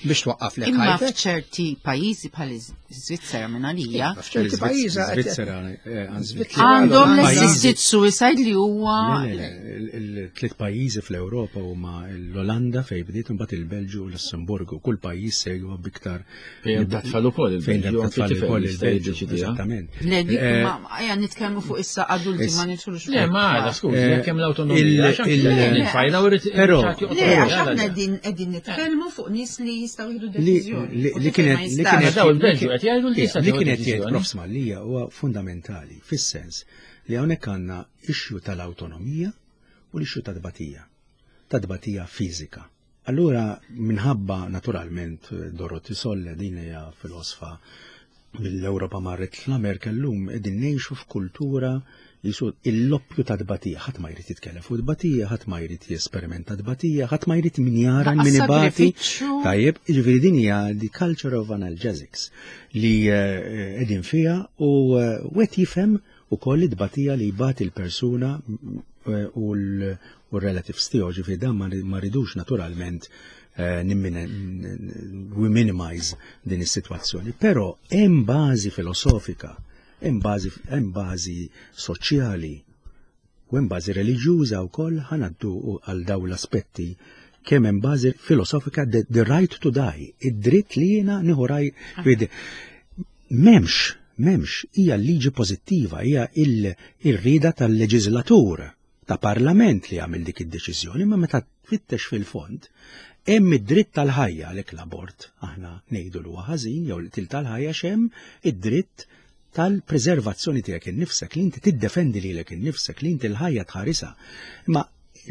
biex twaqqaf lek Imma ħajtek. f'ċerti pajjiżi bħal Iżvizzera minn għalija, F'ċerti pajjiżi Svizzera, eh, anzi, Svizzera, għandhom Pajjiżi- l-assisted suicide li huwa Le, le, le, Il-tliet pajjiżi fl-Ewropa huma l-Olanda fejn bdiet, imbagħad il-Belġju u l-Lussemburgu. Kull pajjiż segwa biktar Fejn hemm tfal ukoll fejn il-Belġju, hemm anke tfal tifel ukoll jista' il-Belġju, jiddeċidiha. eżattament. Le, dik Eh, ma ejja nitkellmu fuq issa adulti, ma nidħlux Le, ma għada, skużi, Eh, jekk hemm l-awtonomija, il- għax anke il- il-fajla u rrid Però- Le, għax aħna qegħdin qegħdin nitkellmu fuq nies li jistgħu jieħdu li deċiżjoni. li- U li tifel kienet ma li jistax. kienet Daw il-Belġju qed jgħidu li jista' li tieħu kienet jgħid deċiżjoni. Prof Mallia huwa fundamentali fis-sens li hawnhekk għandna issue tal-awtonomija u l-issue ta' tbatija, ta' tbatija fiżika. Allura minħabba naturalment Dorothy Solle, din hija filosfa mill-Ewropa marret l-Amerika, llum qegħdin ngħixu f'kultura jisu l-loppju ta' tbatija, ħadd ma jrid jitkellem fuq tbatija, ħadd ma jrid jesperimenta tbatija, ħadd ma jrid min jara Laqas min ibati. sagrifiċċju. Tajjeb, jiġifieri din hija the culture of analgesics li eh, qegħdin fiha u eh, wieħed jifhem ukoll it-tbatija li jbati l-persuna eh, u l- u l-relatives tiegħu, ġifieri dan ma ma ridux naturalment eh, nimmina- we minimize din is-sitwazzjoni, però hemm bażi filosofika, hemm bażi hemm bażi soċjali u hemm bażi reliġjuża wkoll. Ħa ngħaddu għal daw l-aspetti, kemm hemm bażi filosofika, the, the right to die, id-dritt li jiena nieħu raj. M'hemmx, m'hemmx, hija liġi pożittiva, hija il-rida tal-leġislatur, ta' parlament li għamil dik id-deċiżjoni, ma meta tfittex fil-fond, hemm id-dritt tal-ħajja. Għalhekk l-abort aħna ngħidu li huwa ħażin jew l-til tal-ħajja, x'hemm id-dritt tal-preservazzjoni tiegħek innifsek, li inti tiddefendi lilek innifsek, li inti l-ħajja tħarisha. Ma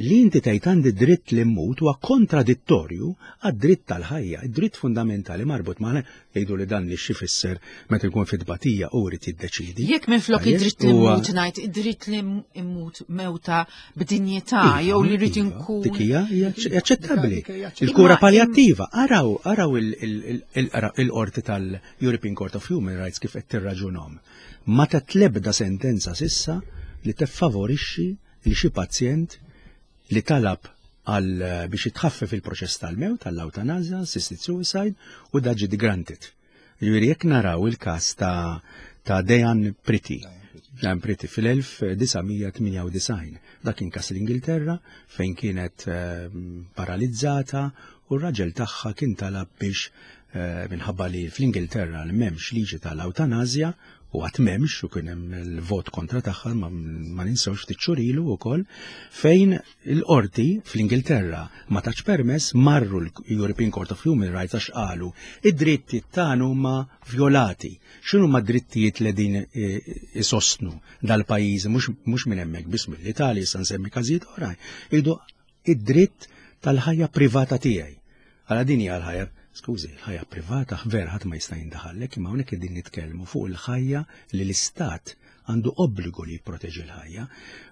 li inti tgħid għandi dritt li mmut huwa kontradittorju għad-dritt tal-ħajja, id-dritt fundamentali marbut ma' jgħidu li dan li x'ifisser meta jkun fit-tbatija u jrid jiddeċidi. Jekk minn flok Tajjeb, id-dritt li huwa- mmut ngħid id-dritt li immut mewta b'dinjità Iva, jew li rrid iva, inkun. Dik hija hija aċċettabbli. Dik hija aċċettabbli. Il-kura Imma- palliattiva, araw, araw il- il- il- il-qorti tal-European Court of Human Rights kif qed tirraġunhom. Ma tat lebda sentenza s'issa li teffavorixxi li xi pazjent li talab għal biex jitħaffef il-proċess tal-mewt, tal-eutanazja, assisted suicide, u dan ġie granted. Ġifieri jekk naraw il-każ ta' ta' Diane Pretty, Diane Pretty fil-elf disa' mija tmienja u disgħin. Dak kien każ l-Ingilterra fejn kienet eh, paralizzata u r-raġel tagħha kien talab biex eh, minħabba li fl-Ingilterra m'hemmx liġi tal-eutanazja u għad m'hemmx u kien hemm il-vot kontra tagħha, ma, ma ninsewx ftit xhur ilu wkoll, fejn il-qorti fl-Ingilterra ma tax permess, marru l-European Court of Human Rights għax qalu id-drittijiet tagħna huma violati. X'inhu ma drittijiet li din eh, isostnu dal-pajjiż, mhux mhux minn hemmhekk biss, mill-Italja, issa nsemmi każijiet oħrajn. Jgħidu id-dritt tal-ħajja privata tiegħi. Għala din hija l-ħajja, skużi, l-ħajja privata vera ħadd ma jista' jindaħallek, imma hawnhekk qegħdin nitkellmu fuq il-ħajja li l-istat għandu obbligu li jipproteġi l-ħajja.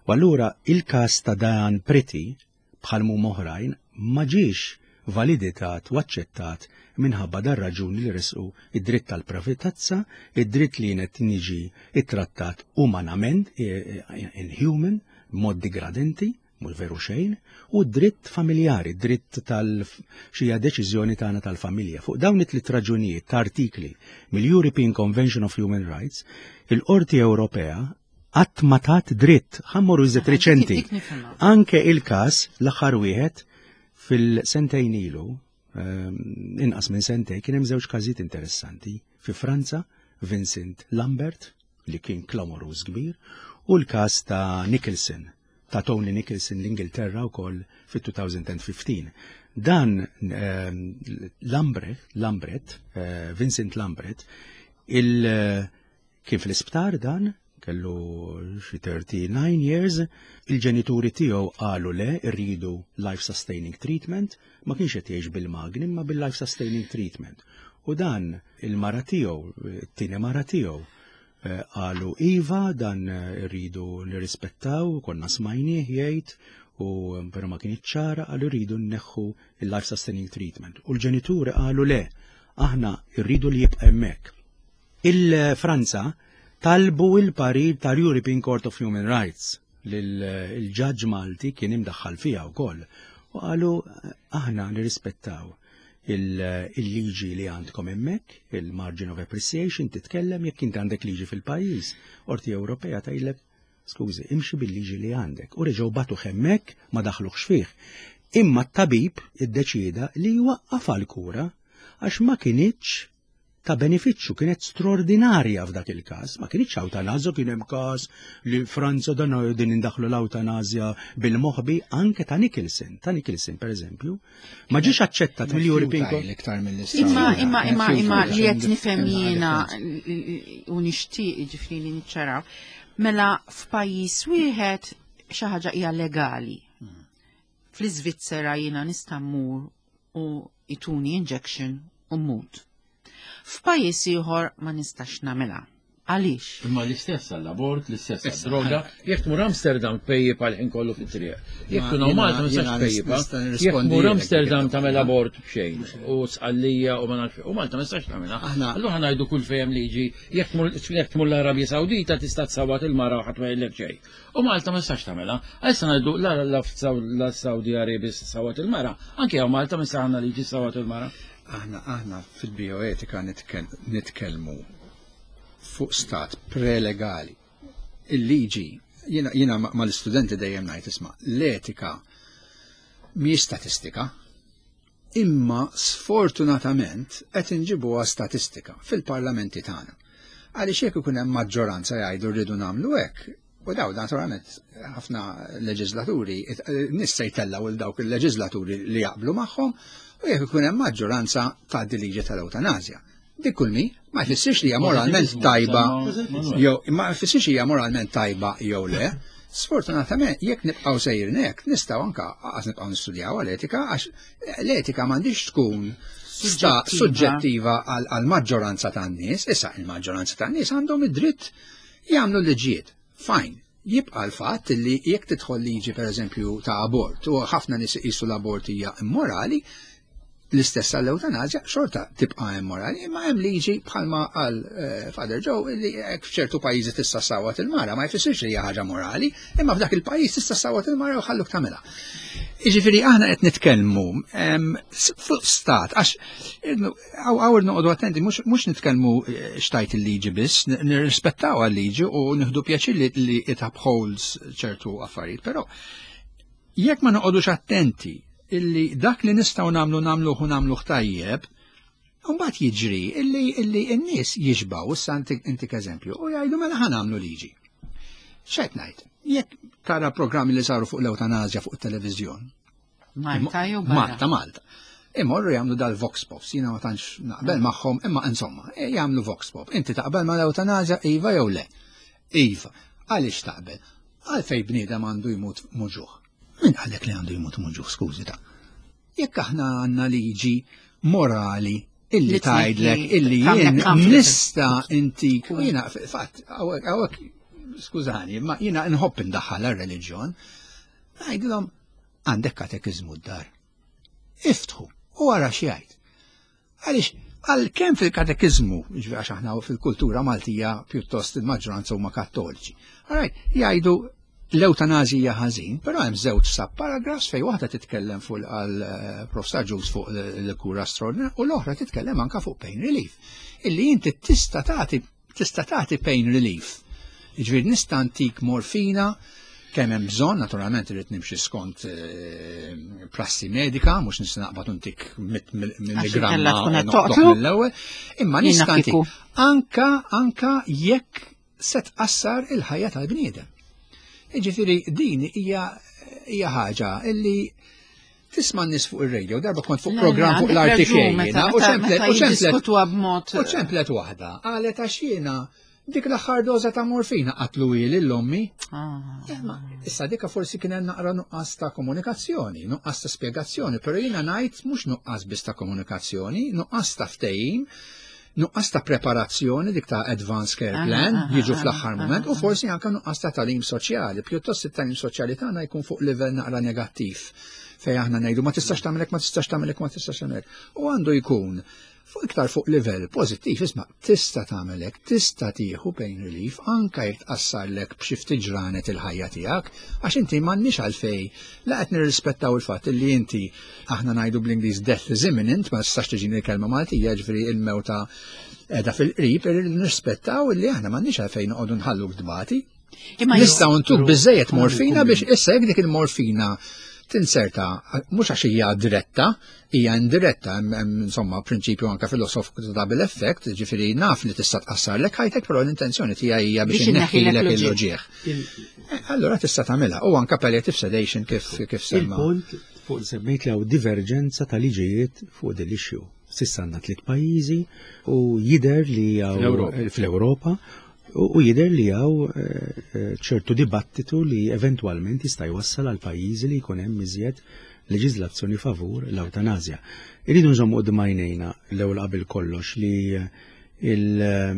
U allura il-każ ta' Diane Pretty bħal mu oħrajn ma ġiex validitat u aċċettat minħabba dar raġuni li resqu id-dritt tal-privatezza, id-dritt li jien niġi ittrattat umanament, eh, eh, inhuman, mod degradenti, mhux veru xejn, u dritt familjari, dritt tal-xija deċiżjoni tagħna tal-familja. Fuq dawn it-tliet raġunijiet ta' artikli mill-European Convention of Human Rights, il-Qorti Ewropea qatt ma tat dritt, ħa mmorru iżjed reċenti. Dik nifhimha. Anke il-każ l-aħħar wieħed fil-sentejn ilu, ehm, inqas minn sentejn, kien hemm żewġ każijiet interessanti. Fi Franza, Vincent Lambert, li kien klamoruż kbir, u l-każ ta' Nicholson, ta' Tony Nicholson l-Ingilterra wkoll fit-elfejn u ħmistax. Dan ehm, Lambret, Lambret, eh, Vincent Lambret, il kien fl-isptar dan, kellu xi thirty-nine years, il-ġenituri tiegħu qalu le, irridu life sustaining treatment, ma kienx qed jgħix bil-magni imma bil-life sustaining treatment. U dan il-mara tiegħu, it-tieni mara tiegħu, eh, qalu iva, dan eh, irridu nirrispettaw, konna smajnieh jgħid, u però ma kien ċara, qalu rridu nneħħu il-life sustaining treatment. U l-ġenituri qalu le, aħna rridu li jibqa' hemmhekk. Il-Franza talbu il-parir tal-European Court of Human Rights li l-ġaġġ Malti kien imdaħħal fiha wkoll. U qalu aħna nirrispettaw il-liġi li għandkom hemmhekk, il-margin of appreciation titkellem jekk inti għandek liġi fil-pajjiż. Qorti Ewropea tgħidlek Skużi, imxi bil-liġi li għandek. U reġgħu bagħtuh hemmhekk, ma daħluhx fih. Imma t-tabib iddeċida li jwaqqaf għal-kura għax ma kinitx ta' benefiċċju, kienet straordinarja f'dak il-każ. Ma kinitx ewtanazja, kien hemm każ li Franza dan din indaħlu l-ewtanazja bil-moħbi anke ta' Nicholson, ta' Nicholson per eżempju, ma ġiex aċċettat mill-European Futile iktar mill Imma imma imma imma li qed nifhem jiena u nixtieq ġifieri li niċċaraw. Mela f'pajjiż wieħed xi ħaġa hija legali. Fl-Iżvizzera jiena nista' mmur u jtuni injection u mmut. F'pajjiż ieħor ma nistax nagħmilha. Għaliex? Imma l-istess għall-abort, l-istess għall-droga. Jekk tmur Amsterdam tpejjep għal-ħin kollu fit-triq. Jekk tkun Malta ma nistax tpejjipa. Jekk tmur Amsterdam tagħmel abort b'xejn u Sqallija u ma nafx u Malta ma nistax tagħmilha. Allura ħa ngħidu kull fejn liġi, jekk tmur l-Arabja Sawdita tista' tsawwat il-mara u ħadd ma jgħidlek xejn. U Malta ma nistax tagħmilha. Issa ngħidu la la Saudi Arabia sawat il-mara, anke hawn Malta ma nistax għandna liġi sawat il-mara. Aħna aħna fil-bioetika nitkellmu fuq stat prelegali. Il-liġi, jiena jiena mal-istudenti dejjem ngħid, isma', l-etika mhijiex statistika, imma sfortunatament qed inġibuha statistika fil-parlamenti tagħna. Għaliex jekk ikun hemm maġġoranza jgħidu rridu nagħmlu hekk, u daw naturalment ħafna leġislaturi nies se jtellgħu il dawk il-leġislaturi li jaqblu magħhom, u jekk ikun hemm maġġoranza tgħaddi liġi tal-ewtanazja. Dik kull mi, ma jfissirx li hija moralment tajba jew ma jfissirx hija moralment tajba jew le. Sfortunatament, jekk nibqgħu sejrin hekk, nistgħu anka qas nibqgħu nistudjaw għal-etika, għax l-etika m'għandix tkun suġġettiva għal maġġoranza tan-nies. Issa il-maġġoranza tan-nies għandhom id-dritt jagħmlu liġijiet. Fine. Jibqa' l-fatt li jekk tidħol liġi pereżempju ta' abort u ħafna nies iqisu l-abort hija immorali, l-istess għall-eutanazja xorta tibqa' immorali, imma hemm liġi bħalma għal eh, Father Joe li hekk f'ċertu pajjiżi tista' sawat il-mara, ma jfissirx li hija ħaġa morali, imma f'dak il-pajjiż tista' sawat il-mara u ħalluk tagħmilha. Jiġifieri aħna qed nitkellmu fuq stat, għax hawn noqogħdu attenti, mhux nitkellmu eh, x'tgħid il-liġi biss, nirrispettaw għal-liġi u nieħdu pjaċir li it upholds ċertu affarijiet, però jekk ma noqogħdux attenti illi dak li nistgħu nagħmlu nagħmluh u nagħmluh tajjeb, mbagħad jiġri illi illi n-nies jiġbaw, issa intik eżempju, u jgħidu mela ħa nagħmlu liġi. X'qed ngħid? Jekk tara programmi li saru fuq l-eutanazja fuq it-televiżjon. Malta jew barra? Malta, Malta. Imorru jagħmlu dal-vox pops, jiena ma tantx naqbel magħhom, imma insomma, e, jagħmlu vox pop. Inti taqbel ma l-eutanazja, iva jew le? Iva. Għaliex taqbel? Għalfej bniedem għandu jmut muġugħ? Min għalek li għandu jmut muġugħ, skużi ta'? Jekk aħna għandna liġi morali illi tgħidlek illi jien nista' intik, u jiena fatt, hawnhekk, skużani, ma jiena nħobb indaħħal għar-reliġjon, ngħidilhom għandek katekiżmu d-dar. Iftħu u ara x'jgħid. Għaliex għal kemm fil-katekiżmu, ġifieri għax aħna fil-kultura Maltija pjuttost il-maġġoranza huma kattoliċi. Alright, jgħidu l-eutanazija ħażin, però hemm żewġ subparagraphs fejn waħda titkellem fuq għal eh, Profs Ġus fuq l-kura straordinarja u l-oħra titkellem anka fuq pain relief. Illi inti tista' tagħti tista' tagħti pain relief. Jiġifieri nista' ntik morfina kemm hemm bżonn, naturalment irid nimxi skont eh, prassi medika, mhux nista' naqbad ntik milligramma mill-ewwel, imma nista' ntik anka anka jekk se tqassar il-ħajja tal-bniedem. Ġifieri din hija hija ħaġa illi tisma' n-nies fuq ir-radio, darba kont fuq program fuq l-R T K u ċemplet u ċemplet u ċemplet waħda, qalet għax jiena dik l-aħħar doża ta' morfina qatlu lil ommi. Ah. Issa dika forsi kien hemm naqra nuqqas ta' komunikazzjoni, nuqqas ta' spjegazzjoni, però jiena ngħid mhux nuqqas biss ta' komunikazzjoni, nuqqas ta' ftehim, nuqqas ta' preparazzjoni, dik ta' advanced care plan, jiġu fl-aħħar moment, u forsi anke nuqqas ta' tagħlim soċjali. Pjuttost it-tagħlim soċjali tagħna jkun fuq livell naqra negattiv fej aħna ngħidu ma tistax tagħmelek, ma tistax tagħmelek, ma tistax tagħmelek. U għandu jkun fuq iktar fuq livell pożittiv, isma', tista' tagħmelek, tista' tieħu pain relief anke jekk tqassarlek b'xi ftit ġranet il-ħajja tiegħek, għax inti m'għandniex għalfej la qed nirrispettaw il-fatt li inti, aħna ngħidu bl-Ingliż "death is imminent", ma tistax tiġini l-kelma Maltija, ġifieri il-mewta qiegħda fil-qrib, irrid nirrispettaw illi aħna m'għandniex għalfejn noqogħdu nħalluk tbati. Imma Nistgħu ntuk biżejjed morfina biex issa jekk dik il-morfina tinserta mhux għax hija diretta, hija indiretta, hemm hemm, insomma prinċipju anke filosofiku ta' double effect, ġifieri naf li tista' tqassarlek ħajtek, però l-intenzjoni tiegħi hija biex Biex inneħħilek inneħħilek il-uġigħ. Eh, Allura tista' tagħmilha u anke palliative sedation kif kif semma. Il-punt fuq semmejt li hawn diverġenza ta' liġijiet fuq din l-issue. S'issa għandna tliet pajjiżi u jider li hawn Fl-Ewropa. fl-Ewropa u u jider li hawn eh, eh, ċertu dibattitu li eventwalment jista' jwassal għal pajjiżi li jkun hemm iżjed leġiżlazzjoni favur l-ewtanazja. Irridu nżommu quddiem għajnejna l-ewwel qabel kollox li eh, il- eh,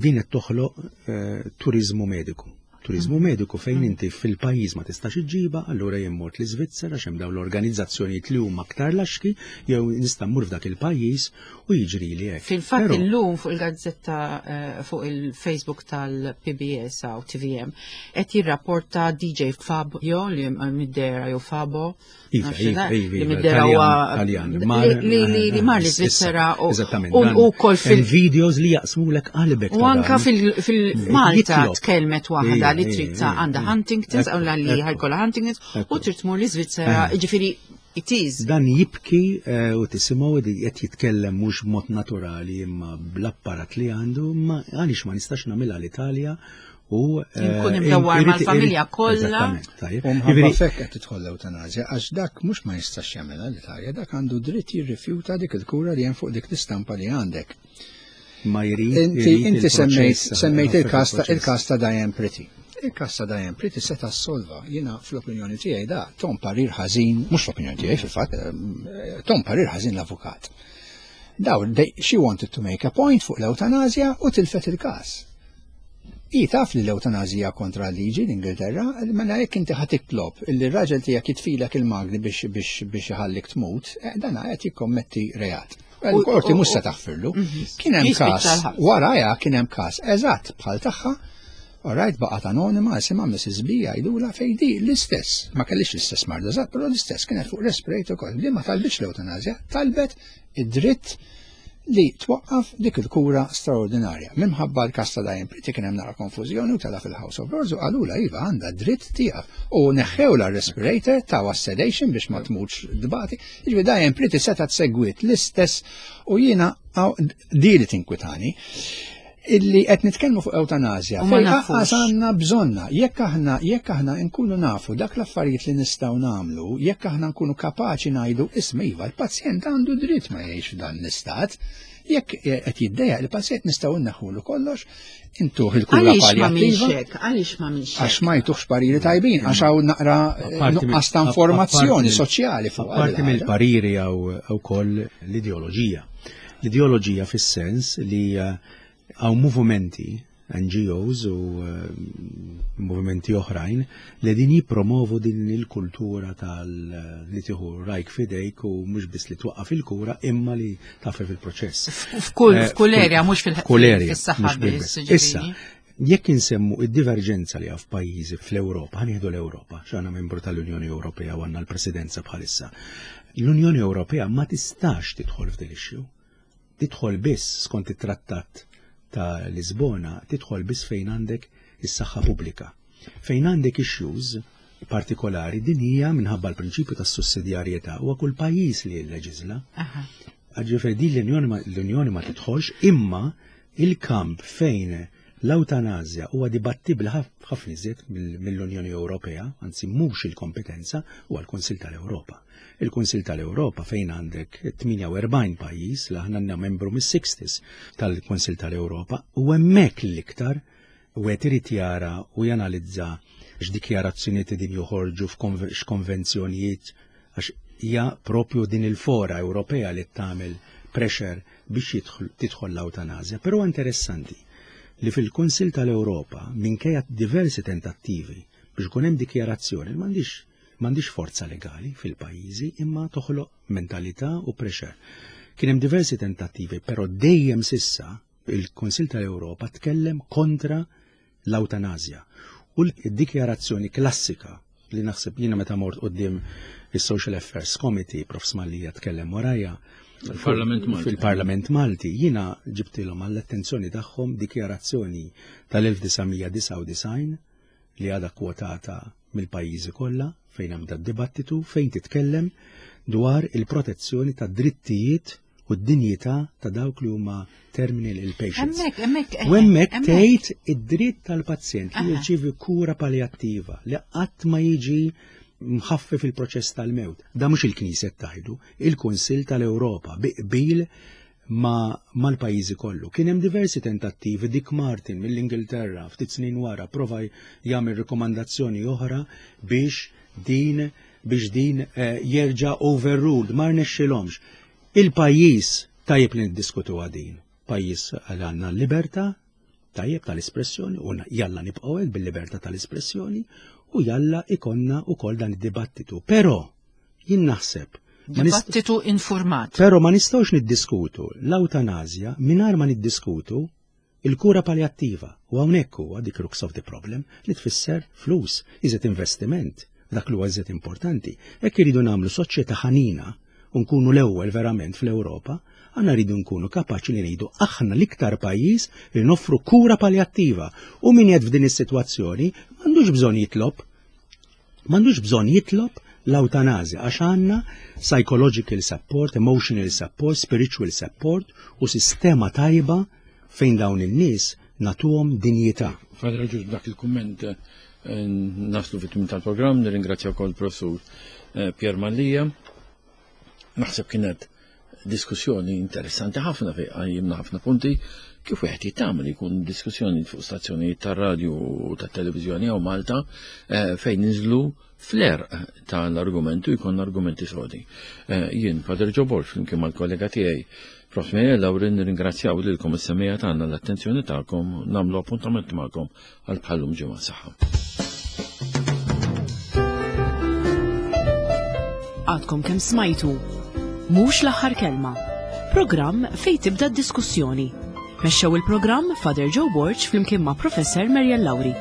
din qed toħloq eh, turizmu mediku. Turizmu mediku fejn inti fil-pajjiż ma tistax iġġiba, allura jien mort l-Iżvizzera għax hemm dawn l-organizzazzjonijiet li huma aktar laxki jew nista' mmur f'dak il-pajjiż u jiġri li hekk. Fil-fatt Però- illum fuq il-gazzetta eh, fuq il-Facebook tal-P B S u T V M qed jirrapporta D J Fabio li middera jew Fabo Iva, nafx iva, da, iva, li iva, middera Taljan, huwa Taljan, li- mar- li li li mar issa, l-Iżvizzera u eżattament, u dan u kol fil hemm videos li jaqsmulek qalbek. U ta' anka dan. fil- fil-Malta Jitlob. tkellmet waħda Ija, li trid ija, ta' ija, għandha ija. Huntington's, Ekku, u li ekku. ħajkollha Huntington's u Ekku. trid tmur l-Iżvizzera, Eh. ġifieri it is. Dan jibki eh, u tisimgħu li qed jitkellem mhux b'mod naturali imma bl-apparat li għandu, ma għaliex ma nistax nagħmilha l-Italja u eh, Inkun imdawwar irrid- mal-familja irrid- kollha. Eżattament, tajjeb. U mħabba Jiġifieri, fekk qed tidħol l-eutanazja għax dak mhux ma jistax jagħmilha l-Italja, dak għandu dritt jirrifjuta dik il-kura li hemm fuq dik l-istampa li għandek. Ma jrid Inti jrid inti il-proċess, semmejt semmejt il-każ ta' il-proċess. il-każ ta' Diane Pretty. Il-każ ta' Diane Pretty seta' solva. Jiena fl-opinjoni tiegħi da tom parir ħażin, mhux fl-opinjoni tiegħi fil-fatt, eh, tom parir ħażin l-avukat. Daw, they, she wanted to make a point fuq l-eutanazja u tilfet il-każ. I taf li l-eutanazija kontra l-liġi l-Ingilterra, mela jekk inti ħa titlob illi r-raġel tiegħek jitfilek il-magni biex biex biex iħallik tmut, eh, dana qed jikkommetti reat. Il-qorti mhux se taħfirlu. Kien hemm Jispiċċa każ, l-ħabs. warajha kien hemm każ eżatt bħal tagħha. Alright, baqgħet anonima, isimha Missus B jgħidula fejn di l-istess. Ma kellix l-istess marda eżatt, però l-istess kienet fuq respirator kol. Li ma talbitx l-eutanazja, talbet id-dritt li twaqqaf dik il-kura straordinarja. Minħabba l-każ ta' Diane Pretty kien hemm nara konfużjoni u tela fil-House of Lords u qalula iva għandha dritt tieqaf. U neħħewla respirator tawa sedation biex ma tmutx dbati. Jiġifieri Diane Pretty setgħet segwit l-istess u jiena għaw- di li tinkwitani illi qed nitkellmu fuq eutanazja. U ma Fejn nafux. anqas għandna bżonna, jekk aħna jekk aħna nkunu nafu dak l-affarijiet li nistgħu nagħmlu, jekk aħna nkunu kapaċi ngħidu isma' iva l-pazjent għandu dritt ma jgħix f'dan l-istat, jekk qed jiddejjaq il-pazjent nistgħu nneħħulu kollox, intuh il-kura Għaliex ma minx palliattiva. hekk? Għaliex ma minx hekk? Għax ma jtuħx pariri tajbin, għax hawn naqra eh, Apparti mill- nuqqas ta' informazzjoni apparti mill- soċjali fuq Apparti għal- mill-pariri għaw ukoll l-ideoloġija. L-ideoloġija fis-sens li eh, hawn movimenti, N G Os u eh, movimenti oħrajn li din jipromovu din il-kultura tal li tieħu rajk fidejk u mhux biss li twaqqaf il-kura imma li taffef il-proċess. F'kull Eh, f'kull area, mhux fil- f'kull area, fis-saħħa mhux bil- biss, Issa, ġifieri. jekk insemmu id-diverġenza li hawn f'pajjiżi fl-Ewropa, ħa nieħdu l-Ewropa, x'għandna membru tal-Unjoni Ewropea u għandna l-Presidenza bħalissa. L-Unjoni Ewropea ma tistax tidħol f'dil issue. Tidħol biss skont it-trattat ta' Lisbona, tidħol biss fejn għandek is-saħħa pubblika. Fejn għandek issues partikolari din hija minħabba l-prinċipju tas-sussidjarjetà huwa kull pajjiż li jilleġisla. Aha. Ġifieri din l-Unjoni ma, l-Unjoni ma tidħolx imma il-kamp fejn l-eutanazja huwa dibattibli ħaf- ħafna iżjed mill- mill-Unjoni Ewropea, anzi mhux il-kompetenza, huwa l-Kunsill tal-Ewropa. Il-Kunsill tal-Ewropa fejn għandek tmienja u erbgħin pajjiż li aħna għandna membru mis-sixties tal-Kunsill tal-Ewropa u hemmhekk l-iktar u qed irid jara u janalizza x'dikjarazzjonijiet din joħorġu f'konve- x'konvenzjonijiet għax hija propju din il-fora Ewropea li tagħmel pressure biex jidħol- tidħol l-eutanazja. Però interessanti li fil-Kunsill tal-Ewropa minkejja diversi tentattivi biex ikun hemm dikjarazzjoni m'għandix m'għandix forza legali fil-pajjiżi imma toħloq mentalità u pressure. Kien hemm diversi tentattivi, però dejjem sissa il-Kunsill tal-Ewropa tkellem kontra l-eutanazja. U l-dikjarazzjoni klassika li naħseb jiena meta mort quddiem is-Social Affairs Committee, Prof Smalija tkellem warajja, Fil-Parlament Malti. Fil-Parlament Malti, jiena ġibtilhom għall-attenzjoni tagħhom dikjarazzjoni tal-elf disa' mija disgħa u disgħin. li għadha kwotata mill-pajjiżi kollha fejn hemm dat dibattitu fejn titkellem dwar il-protezzjoni ta' drittijiet u d-dinjità ta' dawk li huma terminal ill patients. Hemmhekk, hemmhekk. U hemmhekk tgħid id-dritt tal-pazjent li jirċievi kura paljattiva li qatt ma jiġi mħaffef il-proċess tal-mewt. Da mhux il-Knisja tgħidu, il-Kunsill tal-Ewropa bi qbil ma mal-pajjiżi kollu. Kien hemm diversi tentattivi, Dick Martin mill-Ingilterra ftit snin wara prova jagħmel rikomandazzjoni oħra biex din biex din eh, jerġa' overruled, ma rnexxilhomx. Il-pajjiż tajjeb li niddiskutu din. Pajjiż għal għandna l-libertà, tajjeb tal-espressjoni, u jalla nibqgħu hekk bil-libertà tal-espressjoni, u jalla ikonna ukoll dan id-dibattitu. Però jien naħseb ma nist- Dibattitu informat. Però ma nistgħux niddiskutu l-ewtanazja mingħajr ma niddiskutu il-kura paljattiva. U hawnhekk huwa the crux of the problem li tfisser flus, iżet investiment, dak li huwa iżet importanti. Hekk iridu nagħmlu soċjetà ħanina u nkunu l-ewwel verament fl-Ewropa, għandna rridu nkunu kapaċi li ngħidu aħna l-iktar pajjiż li noffru kura paljattiva. U min jgħid f'din is-sitwazzjoni m'għandux bżonn jitlob m'għandux bżonn jitlob l-ewtanazja għax għandna psychological support, emotional support, spiritual support u sistema tajba fejn dawn in-nies nagħtuhom dinjità. Father Ġuż, b'dak il-kumment eh, naslu fit-tmiem tal-programm, nirringrazzja wkoll professur eh, Pier Mallia. Naħseb kienet diskussjoni interessanti ħafna fejn qajjimna ħafna punti kif wieħed jittama li jkun diskussjoni fuq stazzjonijiet tar-radju u tat-televiżjoni hawn Malta eh, fejn ninżlu fl-għerq tal-argumentu jkun argumenti sodi. Eh, Jien, Father Joe Borg, flimkien mal-kollega tiegħi Prof Mary Laurin, nirringrazzjaw lilkom is-semmiegħa tagħna l-attenzjoni tagħkom, nagħmlu appuntament magħkom għal bħal-lum ġimgħa saħħa. Għadkom kemm smajtu. Mhux l-aħħar kelma. Programm fejn tibda d-diskussjoni. Mexxew il-programm Father Joe Borg flimkien ma' Professor Marian Lauri.